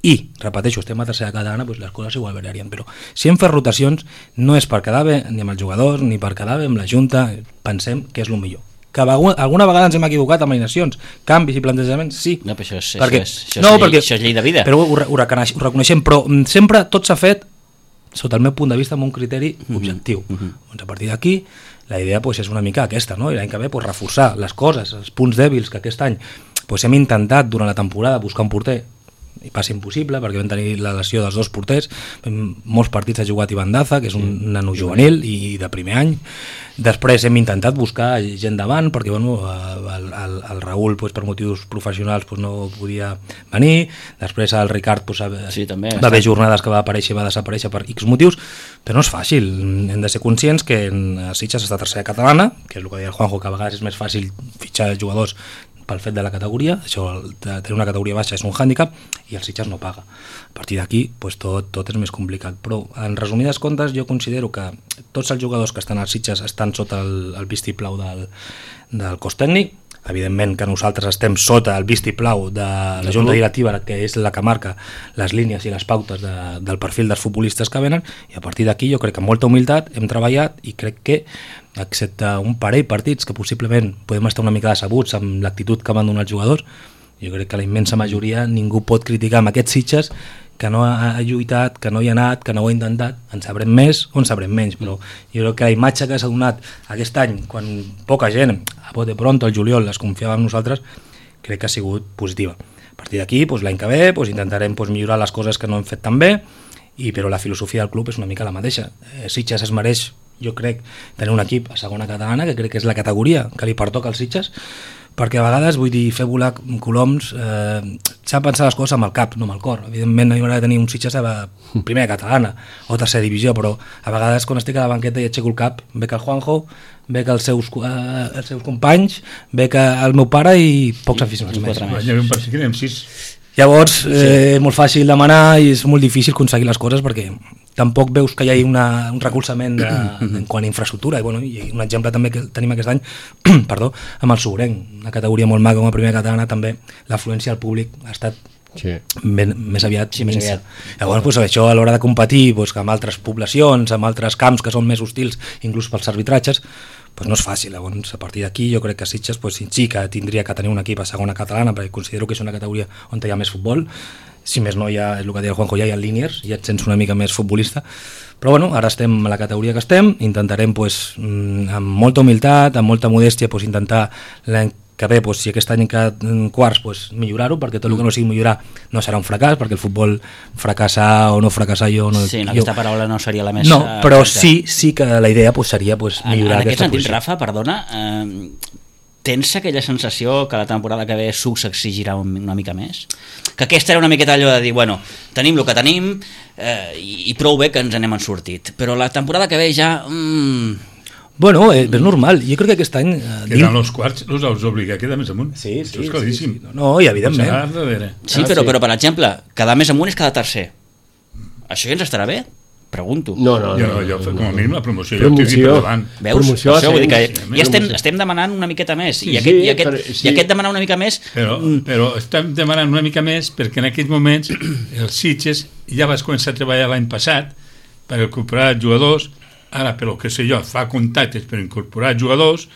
S2: i, repeteixo, estem a tercera catalana, doncs les coses igual variarien, però si hem fet rotacions no és per quedar bé ni amb els jugadors ni per quedar bé amb la Junta, pensem que és el millor. Que alguna vegada ens hem equivocat amb alineacions, canvis i plantejaments, sí.
S1: No, però això és,
S2: perquè,
S1: això és, això
S2: no,
S1: és, llei,
S2: perquè,
S1: això és llei de vida.
S2: Però ho, ho, ho reconeixem, però sempre tot s'ha fet sota el meu punt de vista amb un criteri objectiu. Mm-hmm. Doncs a partir d'aquí la idea pues, és una mica aquesta, no? I l'any que ve pues, reforçar les coses, els punts dèbils que aquest any pues, hem intentat durant la temporada buscar un porter i passa impossible perquè vam tenir la lesió dels dos porters, molts partits ha jugat Ivan Daza, que és un nano juvenil i de primer any. Després hem intentat buscar gent davant perquè bueno, el, el, el Raül pues, per motius professionals pues, no podia venir, després el Ricard pues,
S1: sí, també,
S2: va haver jornades que va aparèixer i va desaparèixer per X motius, però no és fàcil, hem de ser conscients que en Sitges està tercera catalana, que és el que deia el Juanjo, que a vegades és més fàcil fitxar jugadors pel fet de la categoria, això de tenir una categoria baixa és un hàndicap i el Sitges no paga. A partir d'aquí pues, tot, tot és més complicat, però en resumides comptes jo considero que tots els jugadors que estan als Sitges estan sota el, el vistiplau del, del cos tècnic, evidentment que nosaltres estem sota el vistiplau de la Junta Directiva, que és la que marca les línies i les pautes de, del perfil dels futbolistes que venen, i a partir d'aquí jo crec que amb molta humilitat hem treballat i crec que excepte un parell partits que possiblement podem estar una mica decebuts amb l'actitud que van donar els jugadors, jo crec que la immensa majoria ningú pot criticar amb aquests Sitges que no ha lluitat, que no hi ha anat, que no ho ha intentat, en sabrem més o en sabrem menys, però jo crec que la imatge que s'ha donat aquest any, quan poca gent, a bote pronto, el juliol, es confiava en nosaltres, crec que ha sigut positiva. A partir d'aquí, doncs, l'any que ve, doncs, intentarem doncs, millorar les coses que no hem fet tan bé, i, però la filosofia del club és una mica la mateixa. Eh, Sitges es mereix, jo crec, tenir un equip a segona catalana, que crec que és la categoria que li pertoca als Sitges, perquè a vegades, vull dir, fer volar coloms, eh, s'ha de pensar les coses amb el cap, no amb el cor. Evidentment no hi haurà de tenir un Sitges a primera catalana o tercera divisió, però a vegades quan estic a la banqueta i aixeco el cap, ve que el Juanjo, ve que els seus, eh, els seus companys, ve que el meu pare i pocs aficionats més.
S4: Parece que anem sis.
S2: Llavors, eh, és molt fàcil demanar i és molt difícil aconseguir les coses perquè tampoc veus que hi hagi una, un recolzament de, de, en quant a infraestructura. I, bueno, i un exemple també que tenim aquest any perdó, amb el Sobrenc, una categoria molt maca com a primera catalana, també l'afluència al públic ha estat sí. ben, més aviat
S1: sí, més aviat.
S2: Llavors, pues, això a l'hora de competir pues, amb altres poblacions, amb altres camps que són més hostils, inclús pels arbitratges, pues no és fàcil. Llavors, a partir d'aquí jo crec que Sitges pues, sí que tindria que tenir un equip a segona catalana, perquè considero que és una categoria on hi ha més futbol. Si més no, ja, és el que deia el Juanjo, ja hi ha líniers, ja et sents una mica més futbolista, però bueno, ara estem a la categoria que estem, intentarem pues, amb molta humilitat, amb molta modèstia pues, intentar l'any que bé, pues, si aquest any en cada quarts pues, millorar-ho, perquè tot el que no sigui millorar no serà un fracàs, perquè el futbol fracassar o no fracassar jo no,
S1: sí, no,
S2: jo,
S1: aquesta paraula no seria la més
S2: no, però sí, sí que la idea pues, seria pues, millorar
S1: en, en
S2: aquesta
S1: aquest sentit,
S2: posició.
S1: Rafa, perdona, eh, tens aquella sensació que la temporada que ve Suc s'exigirà una mica més? Que aquesta era una miqueta allò de dir, bueno, tenim el que tenim eh, i, i prou bé que ens n'hem sortit, però la temporada que ve ja... Mm...
S2: Bueno, eh, és normal, jo crec que aquest any... Eh,
S4: queden els quarts, els els obliga a quedar més amunt.
S2: Sí, sí,
S4: això és claríssim.
S2: sí, sí. No, i evidentment.
S1: Sí, però, però per exemple, quedar més amunt és quedar tercer. Això ja ens estarà bé, pregunto.
S3: No, no,
S4: Jo,
S3: no,
S4: jo,
S3: no,
S4: com
S3: no,
S4: a mínim la promoció, jo
S3: Promoció.
S4: estic per davant.
S1: Veus?
S3: Promoció
S1: Això, vull dir que
S3: ascens,
S1: ja estem,
S3: promoció.
S1: estem demanant una miqueta més.
S3: Sí,
S1: I, aquest,
S3: sí,
S1: i, aquest,
S3: però- sí.
S1: I aquest demanar una mica més...
S4: Però, però estem demanant una mica més perquè en aquells moments els Sitges ja vas començar a treballar l'any passat per incorporar jugadors, ara, però que sé jo, fa contactes per incorporar jugadors,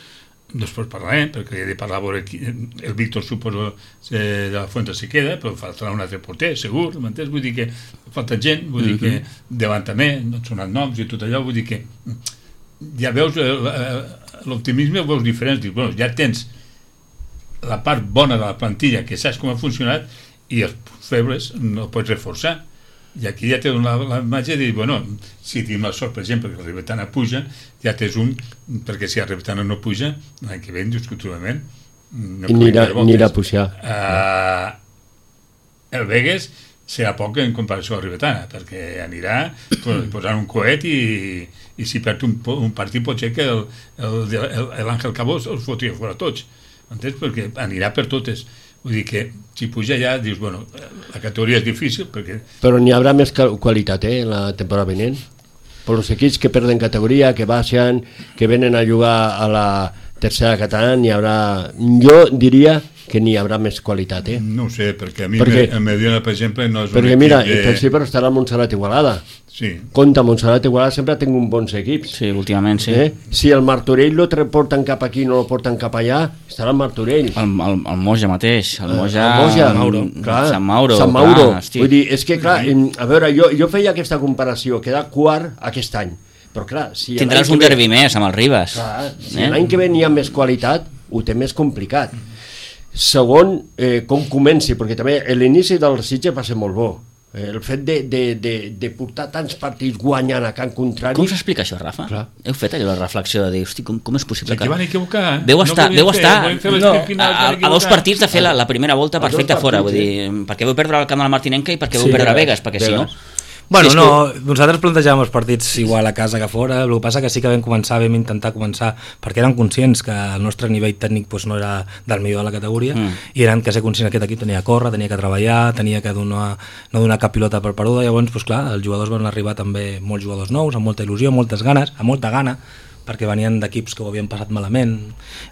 S4: després parlarem, perquè he de parlar a veure qui, el Víctor, suposo, eh, de la Fuente se queda, però faltarà un altre porter, segur, m'entens? Vull dir que falta gent, vull dir que davant també, no et sonen noms i tot allò, vull dir que ja veus l'optimisme, ho veus diferent, dius, bueno, ja tens la part bona de la plantilla, que saps com ha funcionat, i els febles no pots reforçar. I aquí ja té la, la imatge de dir, bueno, si tenim la sort, per exemple, que la Ribetana puja, ja tens un, perquè si la Ribetana no puja, l'any que ve, indiscutiblement, no
S3: Anirà, anirà a pujar.
S4: Uh, el Vegas serà poc en comparació a la Ribetana, perquè anirà pues, posant un coet i, i si perd un, un partit pot ser que l'Àngel Cabós els fotria fora tots, entens? Perquè anirà per totes. Vull dir que si puja ja dius, bueno, la categoria és difícil perquè...
S3: Però n'hi haurà més qualitat, eh, la temporada vinent. Per els equips que perden categoria, que baixen, que venen a jugar a la tercera catalana, n'hi haurà... Jo diria que n'hi haurà més qualitat, eh?
S4: No ho sé, perquè a mi
S3: perquè,
S4: el Mediona, per exemple, no és un
S3: perquè
S4: equip
S3: mira,
S4: de...
S3: per exemple estarà Montserrat Igualada.
S4: Sí.
S3: Compte, Montserrat Igualada sempre ha tingut bons equips.
S1: Sí, últimament sí.
S3: Eh? Si el Martorell lo porten cap aquí no lo porten cap allà, estarà el Martorell.
S1: El, el, el Moja mateix, el Moja...
S3: El Moja,
S1: Sant Mauro.
S3: clar,
S1: Sant Mauro.
S3: Sant Mauro.
S1: Clar,
S3: Vull dir, és que clar, a veure, jo, jo feia aquesta comparació, quedar quart aquest any, però clar, si
S1: tindràs un derbi més amb el Ribas.
S3: Clar, si
S1: eh?
S3: l'any que ve n'hi ha més qualitat, ho té més complicat. Segon, eh, com comenci, perquè també l'inici del Sitges va ser molt bo. Eh, el fet de, de, de, de portar tants partits guanyant a Can Contrari...
S1: Com s'explica això, Rafa?
S3: Clar.
S1: Heu fet allò la reflexió de dir, hosti, com, com és possible
S4: Aquí van equivocar. Eh?
S1: Veu estar,
S4: no
S1: veu
S4: fer,
S1: estar
S4: fer
S1: no,
S4: final,
S1: a, a dos partits de fer la, la primera volta perfecta fora, vull dir, perquè veu perdre el camp de la Martinenca i perquè veu
S2: Sí,
S1: perdre
S2: eh,
S1: Vegas, perquè si no...
S2: Bueno,
S1: sí,
S2: no, nosaltres plantejàvem els partits igual a casa que a fora, el que passa que sí que vam començar, vam intentar començar, perquè eren conscients que el nostre nivell tècnic pues, no era del millor de la categoria, mm. i eren que ser conscients que aquest equip tenia que córrer, tenia que treballar, tenia que donar, no donar cap pilota per peruda, llavors, pues, clar, els jugadors van arribar també molts jugadors nous, amb molta il·lusió, moltes ganes, amb molta gana, perquè venien d'equips que ho havien passat malament,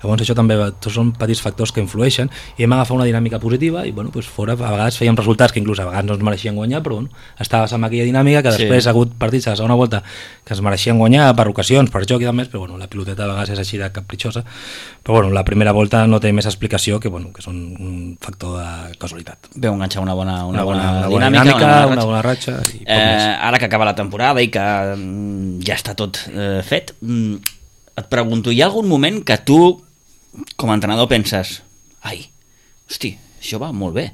S2: llavors això també tots són petits factors que influeixen, i hem agafat una dinàmica positiva i bueno, pues fora a vegades fèiem resultats que inclús a vegades no ens mereixien guanyar, però bueno, estaves amb aquella dinàmica que després sí. ha hagut partits a la segona volta que es mereixien guanyar per ocasions, per joc i demés, però bueno, la piloteta a vegades és així de capritxosa, però bueno, la primera volta no té més explicació que, bueno, que són un factor de casualitat.
S1: Veu enganxar una bona, una,
S2: una,
S1: bona,
S2: bona, una
S1: dinàmica,
S2: dinàmica,
S1: una bona ratxa.
S2: Una bona ratxa i poc
S1: eh,
S2: més.
S1: Ara que acaba la temporada i que mm, ja està tot eh, fet, mm, et pregunto, hi ha algun moment que tu, com a entrenador, penses ai, hosti, això va molt bé.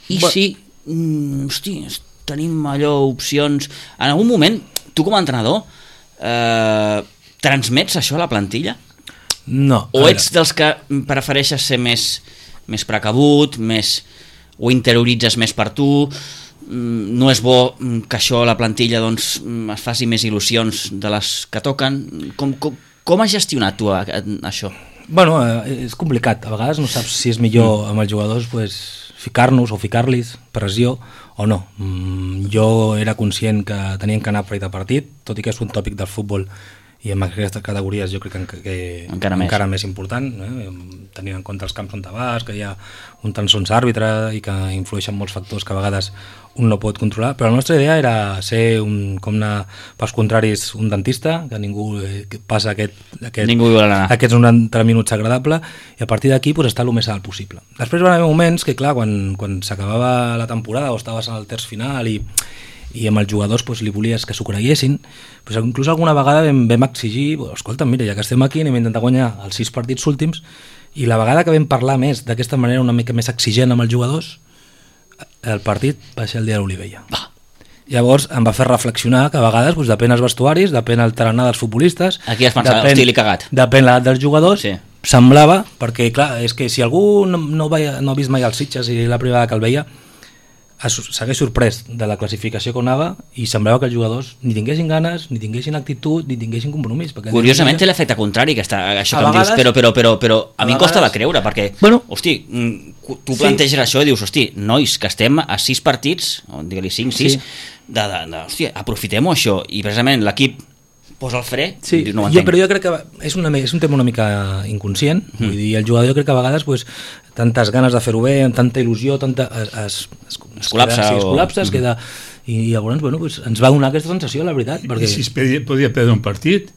S1: I Va. si, mm, hosti, tenim allò, opcions... En algun moment, tu com a entrenador, eh, transmets això a la plantilla?
S2: No.
S1: O ets dels que prefereixes ser més, més precabut, més, o interioritzes més per tu... no és bo que això a la plantilla doncs, es faci més il·lusions de les que toquen. Com, com, com has gestionat tu a, a, això?
S2: Bueno, eh, és complicat. A vegades no saps si és millor amb els jugadors pues, ficar-nos o ficar-los pressió o no. Mm, jo era conscient que tenien que anar partit a partit, tot i que és un tòpic del futbol i en aquestes categories jo crec que, que
S1: encara, més.
S2: encara més important, eh? tenint en compte els camps on te vas, que hi ha un tan sons àrbitre i que influeixen molts factors que a vegades un no pot controlar, però la nostra idea era ser un, com anar pels contraris un dentista, que ningú eh, que passa aquest, aquest,
S1: ningú
S2: aquests noranta minuts agradable, i a partir d'aquí pues, estar el més alt possible. Després van haver moments que clar, quan, quan s'acabava la temporada o estaves en el terç final i i amb els jugadors pues, li volies que s'ho creguessin, pues, inclús alguna vegada vam, vam exigir, pues, escolta, mira, ja que estem aquí anem a intentar guanyar els sis partits últims, i la vegada que vam parlar més d'aquesta manera una mica més exigent amb els jugadors, el partit va ser el dia de l'Olivella.
S1: Ah.
S2: Llavors em va fer reflexionar que a vegades pues, depèn els vestuaris, depèn el tarannà dels futbolistes,
S1: aquí has pensat, hosti, l'he cagat,
S2: depèn l'edat dels jugadors,
S1: sí.
S2: Semblava, perquè clar, és que si algú no, no, veia, no ha vist mai els Sitges i la primera que el veia, s'hagués sorprès de la classificació que anava i semblava que els jugadors ni tinguessin ganes, ni tinguessin actitud, ni tinguessin compromís.
S1: Curiosament té l'efecte contrari, que està, això
S2: A
S1: que em
S2: vegades-
S1: dius, però, però, però, però a,
S2: a
S1: mi em costa de
S2: vegades-
S1: creure, perquè,
S2: Bueno.
S1: hosti, mm, tu
S2: Sí.
S1: planteges això i dius, hosti, nois, que estem a sis partits, o digue-li cinc, sis,
S2: Sí.
S1: de, de, de, hosti, aprofitem-ho això, i precisament l'equip posa el fre,
S2: Sí,
S1: i dius, no ho
S2: jo,
S1: entenc.
S2: però jo crec que és, una, és un tema una mica inconscient, mm. vull dir, el jugador jo crec que a vegades pues, tantes ganes de fer-ho bé, amb tanta il·lusió, tanta, es, es, es,
S1: Es col·lapsa
S2: queda, sí, es
S1: o-
S2: col·lapsa, es queda, i llavors bueno, pues, ens va donar aquesta sensació, la veritat, perquè...
S4: I si es podia, podia perdre un partit,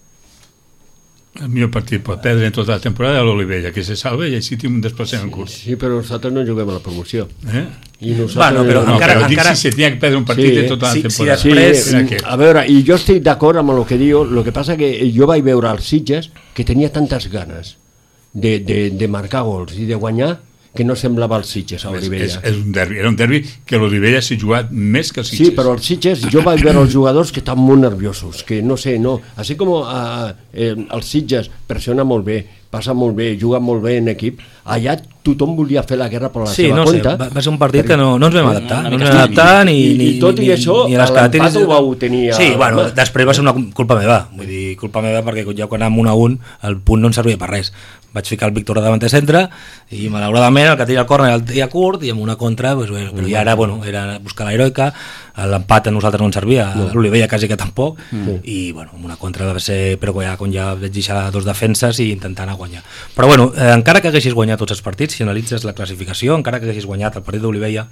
S4: el millor partit pot perdre en tota la temporada a l'Olivella, que se salva i així té un desplaçament curt.
S3: Sí, però nosaltres no juguem a la promoció.
S4: Eh?
S3: I nosaltres...
S2: Bueno, però
S4: No,
S2: encara-
S4: però dic
S2: encara-
S4: si se tenia que perdre un partit
S3: Sí,
S4: de tota la
S2: sí, sí,
S4: temporada.
S3: Sí,
S2: Després-
S4: Era aquest.
S3: a veure, i jo estic d'acord amb el que diu, el que passa que jo vaig veure als Sitges que tenia tantes ganes de, de, de marcar gols i de guanyar que no semblava els Sitges a
S4: És,
S3: Olivella.
S4: és, és un derbi. Era un derbi que l'Olivella s'ha jugat més que els
S3: Sí,
S4: Sitges.
S3: però els Sitges, jo vaig veure els jugadors que estan molt nerviosos, que no sé, no, així com uh, eh, els Sitges pressiona molt bé, passa molt bé, juga molt bé en equip, allà tothom volia fer la guerra per la
S2: Sí,
S3: seva
S2: no sé,
S3: compte.
S2: va, va ser un partit que no, no ens vam adaptar,
S1: una
S2: no,
S1: mica
S2: ens vam adaptar ni,
S3: I-
S2: ni,
S3: i tot i
S2: ni,
S3: això,
S2: ni a les
S3: l'empat
S2: característiques.
S3: ho vau tenir a-
S2: Sí, bueno,
S3: home.
S2: després va ser una culpa meva, vull dir, culpa meva perquè ja quan anàvem un a un el punt no ens servia per res. Vaig ficar el Víctor davant de centre i malauradament el que tenia el córner el tenia curt i amb una contra, pues, bueno, però ja era, bueno, era buscar l'heroica, l'empat a nosaltres no ens servia, a l'Olivella quasi que tampoc, mm. i bueno, amb una contra va ser, però ja, quan ja vaig deixar dos defenses i intentant anar a guanyar. Però bueno, eh, encara que haguessis guanyat tots els partits, si analitzes la classificació, encara que haguessis guanyat el partit d'Olivella,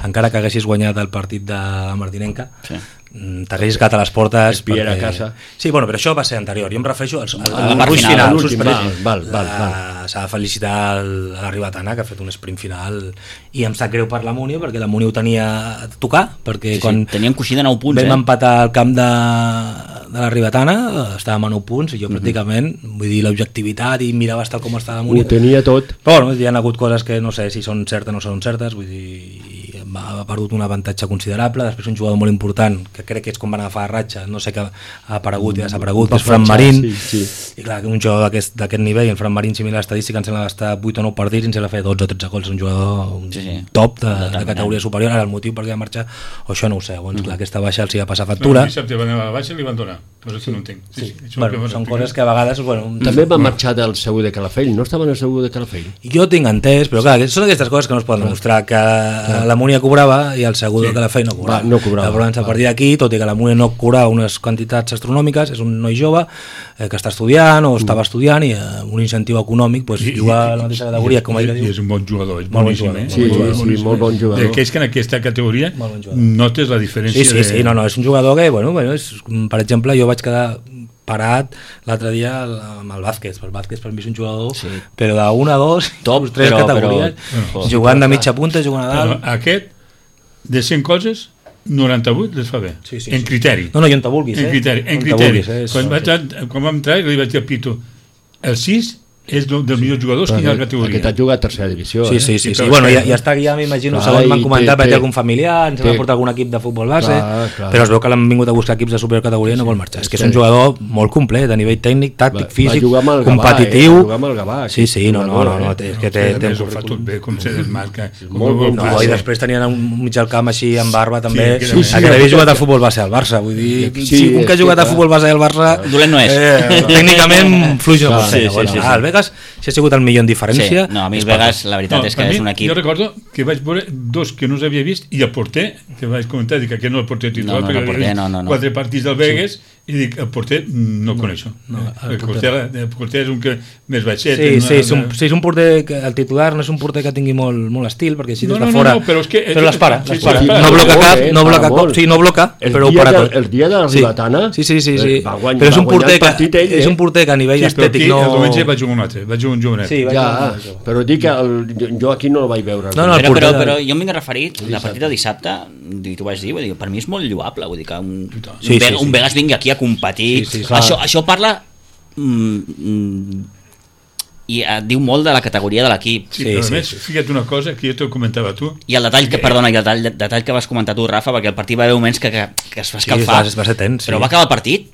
S2: encara que haguessis guanyat el partit de la Martinenca,
S1: Sí.
S2: mm, t'haguessis quedat a les portes
S3: Espiera a casa.
S2: Sí, bueno, però això va ser anterior, jo em refereixo al, al,
S1: A la
S2: al
S1: part
S2: gruix
S1: final,
S2: final,
S1: a
S3: l'últim,
S2: val,
S3: val, val, val.
S2: s'ha de felicitar el- a la Ribatana que ha fet un sprint final i em sap greu per la Múnia perquè la Múnia ho tenia a tocar perquè
S1: Sí, sí,
S2: quan
S1: teníem coixí de nou punts,
S2: vam
S1: eh?
S2: empatar al camp de, de la Ribatana estàvem a nou punts i jo pràcticament vull dir l'objectivitat i miraves tal com estava la Múnia
S3: Ho tenia tot.
S2: però bueno, hi ha hagut coses que no sé si són certes o no són certes, vull dir, ha perdut un avantatge considerable, després un jugador molt important, que crec que és com van agafar a ratxa, no sé que ha aparegut i desaparegut, que és Fran Marín,
S3: Sí, sí.
S2: i clar, que un jugador d'aquest d'aquest nivell, el Fran Marín, si mira l'estadística, em sembla que està vuit o nou partits i ens ha fet dotze o tretze gols, un jugador un
S1: Sí, sí.
S2: top de, de,
S1: Determinant.
S2: categoria superior, ara el motiu per què va marxar, o això no ho sé, llavors,
S1: Mm.
S2: clar, aquesta baixa els hi va passar
S4: Però
S2: factura,
S4: el dissabte van anar a la baixa i li van donar. Però això no entenc. Sí, sí. Això
S2: bueno,
S4: que
S2: són
S4: m'expliques.
S2: coses que a vegades, bueno,
S3: També va marxar del Segur de Calafell, no estava en el Segur de Calafell?
S2: jo tinc entès, però clar, són aquestes coses que no es poden demostrar, que la Múnia cobrava i el Segur de Calafell no cobrava.
S3: Va, no cobrava.
S2: Llavors, a partir d'aquí, tot i que la Múnia no cobrava unes quantitats astronòmiques, és un noi jove eh, que està estudiant o estava estudiant i eh, un incentiu econòmic pues,
S4: I-
S2: juga a
S4: i-
S2: la mateixa categoria, com ell
S4: i, i
S2: diu.
S4: és un bon jugador, és
S2: Molt bon
S4: boníssim,
S2: jugador,
S4: eh?
S3: Sí, sí, molt bon jugador.
S4: Eh, Que és que en aquesta categoria
S2: Molt bon jugador.
S4: notes la diferència
S2: Sí, sí,
S4: de...
S2: sí, no, no, és un jugador que, bueno, bueno és, per exemple, jo vaig quedar parat l'altre dia amb el bàsquet, el bàsquet per mi és un jugador
S1: Sí.
S2: però d'una a dos,
S1: Top,
S2: tres
S1: però-
S2: categories,
S1: però-
S2: jugant de mitja punta, jugant a
S4: Però
S2: dalt.
S4: aquest, de cent coses, noranta-vuit les fa bé.
S2: Sí, sí,
S4: en
S2: sí.
S4: criteri.
S2: No, no, i on te vulguis, eh?
S4: En criteri, en
S2: On te
S4: criteri.
S2: vulguis, eh? És-
S4: Quan, vaig, a- quan vam entrar, li vaig dir a Pito, el sis és un dels millors jugadors que hi ha a la categoria.
S3: Aquest ha jugat a tercera divisió.
S2: Sí,
S3: eh?
S2: sí, sí,
S4: Sí,
S2: sí.
S4: però
S2: Bueno,
S4: és
S2: ja,
S4: que-
S2: ja està ja, m'imagino,
S3: Clar,
S2: segons m'han
S3: i
S2: comentat,
S3: té-
S2: té
S3: té-
S2: algun familiar, ens
S3: té-
S2: va portar algun equip de futbol base,
S3: Clar, clar.
S2: però es veu que l'han vingut a buscar equips de supercategoria i no vol marxar. És que és un jugador molt complet, a nivell tècnic, tàctic,
S3: Va- va
S2: físic,
S3: jugar amb el Gavà,
S2: competitiu.
S3: eh? Va jugar amb el Gavà,
S2: Sí, sí,
S3: aquest
S2: no, no,
S3: jugador,
S2: no, no,
S3: eh?
S2: té, és que
S4: No,
S2: té,
S4: a
S2: té
S4: més,
S2: un
S4: ho fa tot
S2: currículum.
S4: bé, com se desmarca.
S3: molt bon
S2: No,
S3: jugador.
S2: i després tenien un mig al camp així amb barba també,
S4: que
S2: sí,
S4: era-
S2: sí,
S3: sí,
S2: que havia
S3: sí.
S2: jugat a futbol base al Barça, vull dir,
S3: Sí,
S2: si un
S3: és
S2: que ha
S3: que
S2: jugat a
S3: clar.
S2: futbol base al Barça
S1: Dolent no és.
S2: eh, tècnicament fluix no pot ser.
S1: Sí, sí,
S2: Bueno,
S1: sí, sí.
S2: ah, el Vegas si ha sigut el millor en diferència.
S1: Sí, no, a mi el
S2: és per-
S1: Vegas, la veritat és que
S4: a mi,
S1: és un equip...
S4: Jo recordo que vaig veure dos que no els havia vist i el porter, que vaig comentar, dic que aquest no el porter titular,
S1: No, no,
S4: perquè
S1: el porter,
S4: havia vist
S1: no, no, no.
S4: quatre partits del Vegas i dic, el porter no el coneixo.
S2: no,
S4: Eh,
S2: el
S4: el, porter, el porter és un que més baixet.
S2: Sí,
S4: una-
S2: sí, és un, sí, és un porter que el titular no és un porter que tingui molt, molt estil, perquè així
S4: No,
S2: des
S4: no,
S2: de
S4: no,
S2: fora...
S4: no, però és que-
S2: però les para,
S4: sí,
S2: les
S4: sí,
S2: para.
S4: les para.
S2: No bloca
S3: Molt,
S2: cap,
S3: eh,
S2: no
S3: para
S2: bloca
S3: molt.
S2: cop, sí, no bloca,
S3: El
S2: però ho
S3: dia
S2: para
S3: de-
S2: tot.
S3: el dia de la
S2: Sí.
S3: Ribatana,
S2: Sí, sí, sí, sí.
S3: va guany-
S2: Però és
S3: va
S2: un
S3: guanyar
S2: porter
S3: el
S2: que,
S3: partit ell,
S2: és
S3: eh?
S2: un porter que a nivell
S4: Sí, però aquí
S2: estètic no...
S4: el diumenge vaig jugar un altre, vaig jugar un jovenet.
S2: Sí, vaig
S3: Ja,
S2: jugar-
S3: però dic que el, jo, jo aquí no el vaig veure.
S2: No, no, el
S1: Però, però,
S2: porter-
S1: però jo m'hi he referit, la partida de dissabte, i t'ho vaig dir, vull dir, per mi és molt lloable, vull dir que un,
S2: Sí,
S1: un,
S2: sí,
S1: Vegas,
S2: sí.
S1: un Vegas vingui aquí a competir,
S2: Sí, sí,
S3: clar.
S1: això, això parla mm, mm, i et diu molt de la categoria de l'equip.
S4: Sí,
S2: Sí,
S4: però
S2: sí,
S4: a més,
S2: sí.
S4: fica't una cosa que jo t'ho comentava tu.
S1: I el detall que, perdona, i el detall, detall que vas comentar tu, Rafa, perquè el partit va haver moments que, que, que es va
S2: Sí,
S1: escalfar,
S2: va- va ser tens, sí.
S1: però va acabar el partit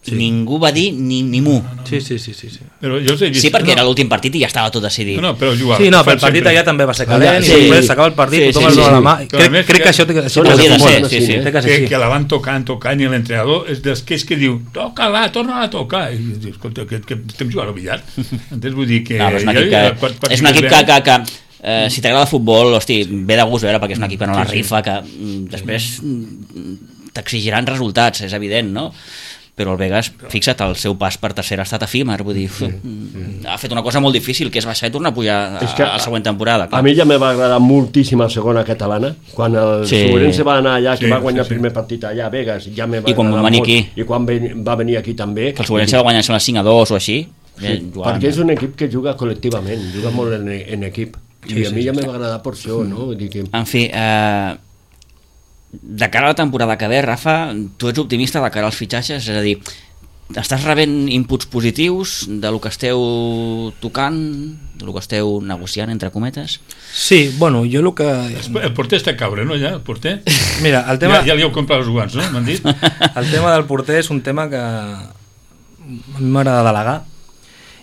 S1: sí. Ningú va dir ni, ni mu.
S2: Sí, sí, sí, sí, sí.
S4: Però jo us he vist...
S1: Sí, perquè
S4: no.
S1: era l'últim partit i ja estava tot decidit.
S4: No, no, però jugava.
S2: Sí, no, però el partit allà també va ser calent, sí, i després s'acaba el partit, sí, tothom sí, es dona sí. la mà. Crec, crec que, que això té que ser
S1: de ser, sí, sí.
S2: Que,
S4: que, que la van tocant, tocant, i l'entrenador és dels que és que diu, toca-la, torna-la a tocar. I dius, escolta, que, que estem jugant al billar. Entens? Vull dir que...
S1: No, és un equip que, quan, quan és un equip que, que, que eh, si t'agrada el futbol, hosti, ve de gust veure, perquè és un equip que no la rifa, que mm, després mm, t'exigiran resultats, és evident, no? Però el Vegas, fixa't, el seu pas per tercera ha estat efímer, vull dir, sí, sí. ha fet una cosa molt difícil, que és baixar i tornar a pujar a, a la següent temporada. Clar.
S3: A mi ja me va agradar moltíssim la segona catalana, quan el sí. Sobrense va anar allà, que sí, va guanyar sí, sí. el primer partit allà a Vegas, ja me va
S1: I quan va venir aquí.
S3: I quan va venir aquí també.
S1: Que el Sobrense va guanyar cinc a dos o així.
S3: Sí, perquè és un equip que juga col·lectivament, juga molt en, en equip. I sí, a mi sí, ja me va agradar per això, no? Dir que...
S1: En fi, eh, de cara a la temporada que ve, Rafa, tu ets optimista de cara als fitxatges, és a dir, estàs rebent inputs positius de lo que esteu tocant, de lo que esteu negociant, entre cometes?
S2: Sí, bueno, jo el que...
S4: El porter està a caure, no, ja, el porter?
S2: Mira, el tema...
S4: Ja, ja li heu comprat els guants, no? M'han dit?
S2: El tema del porter és un tema que a mi m'agrada delegar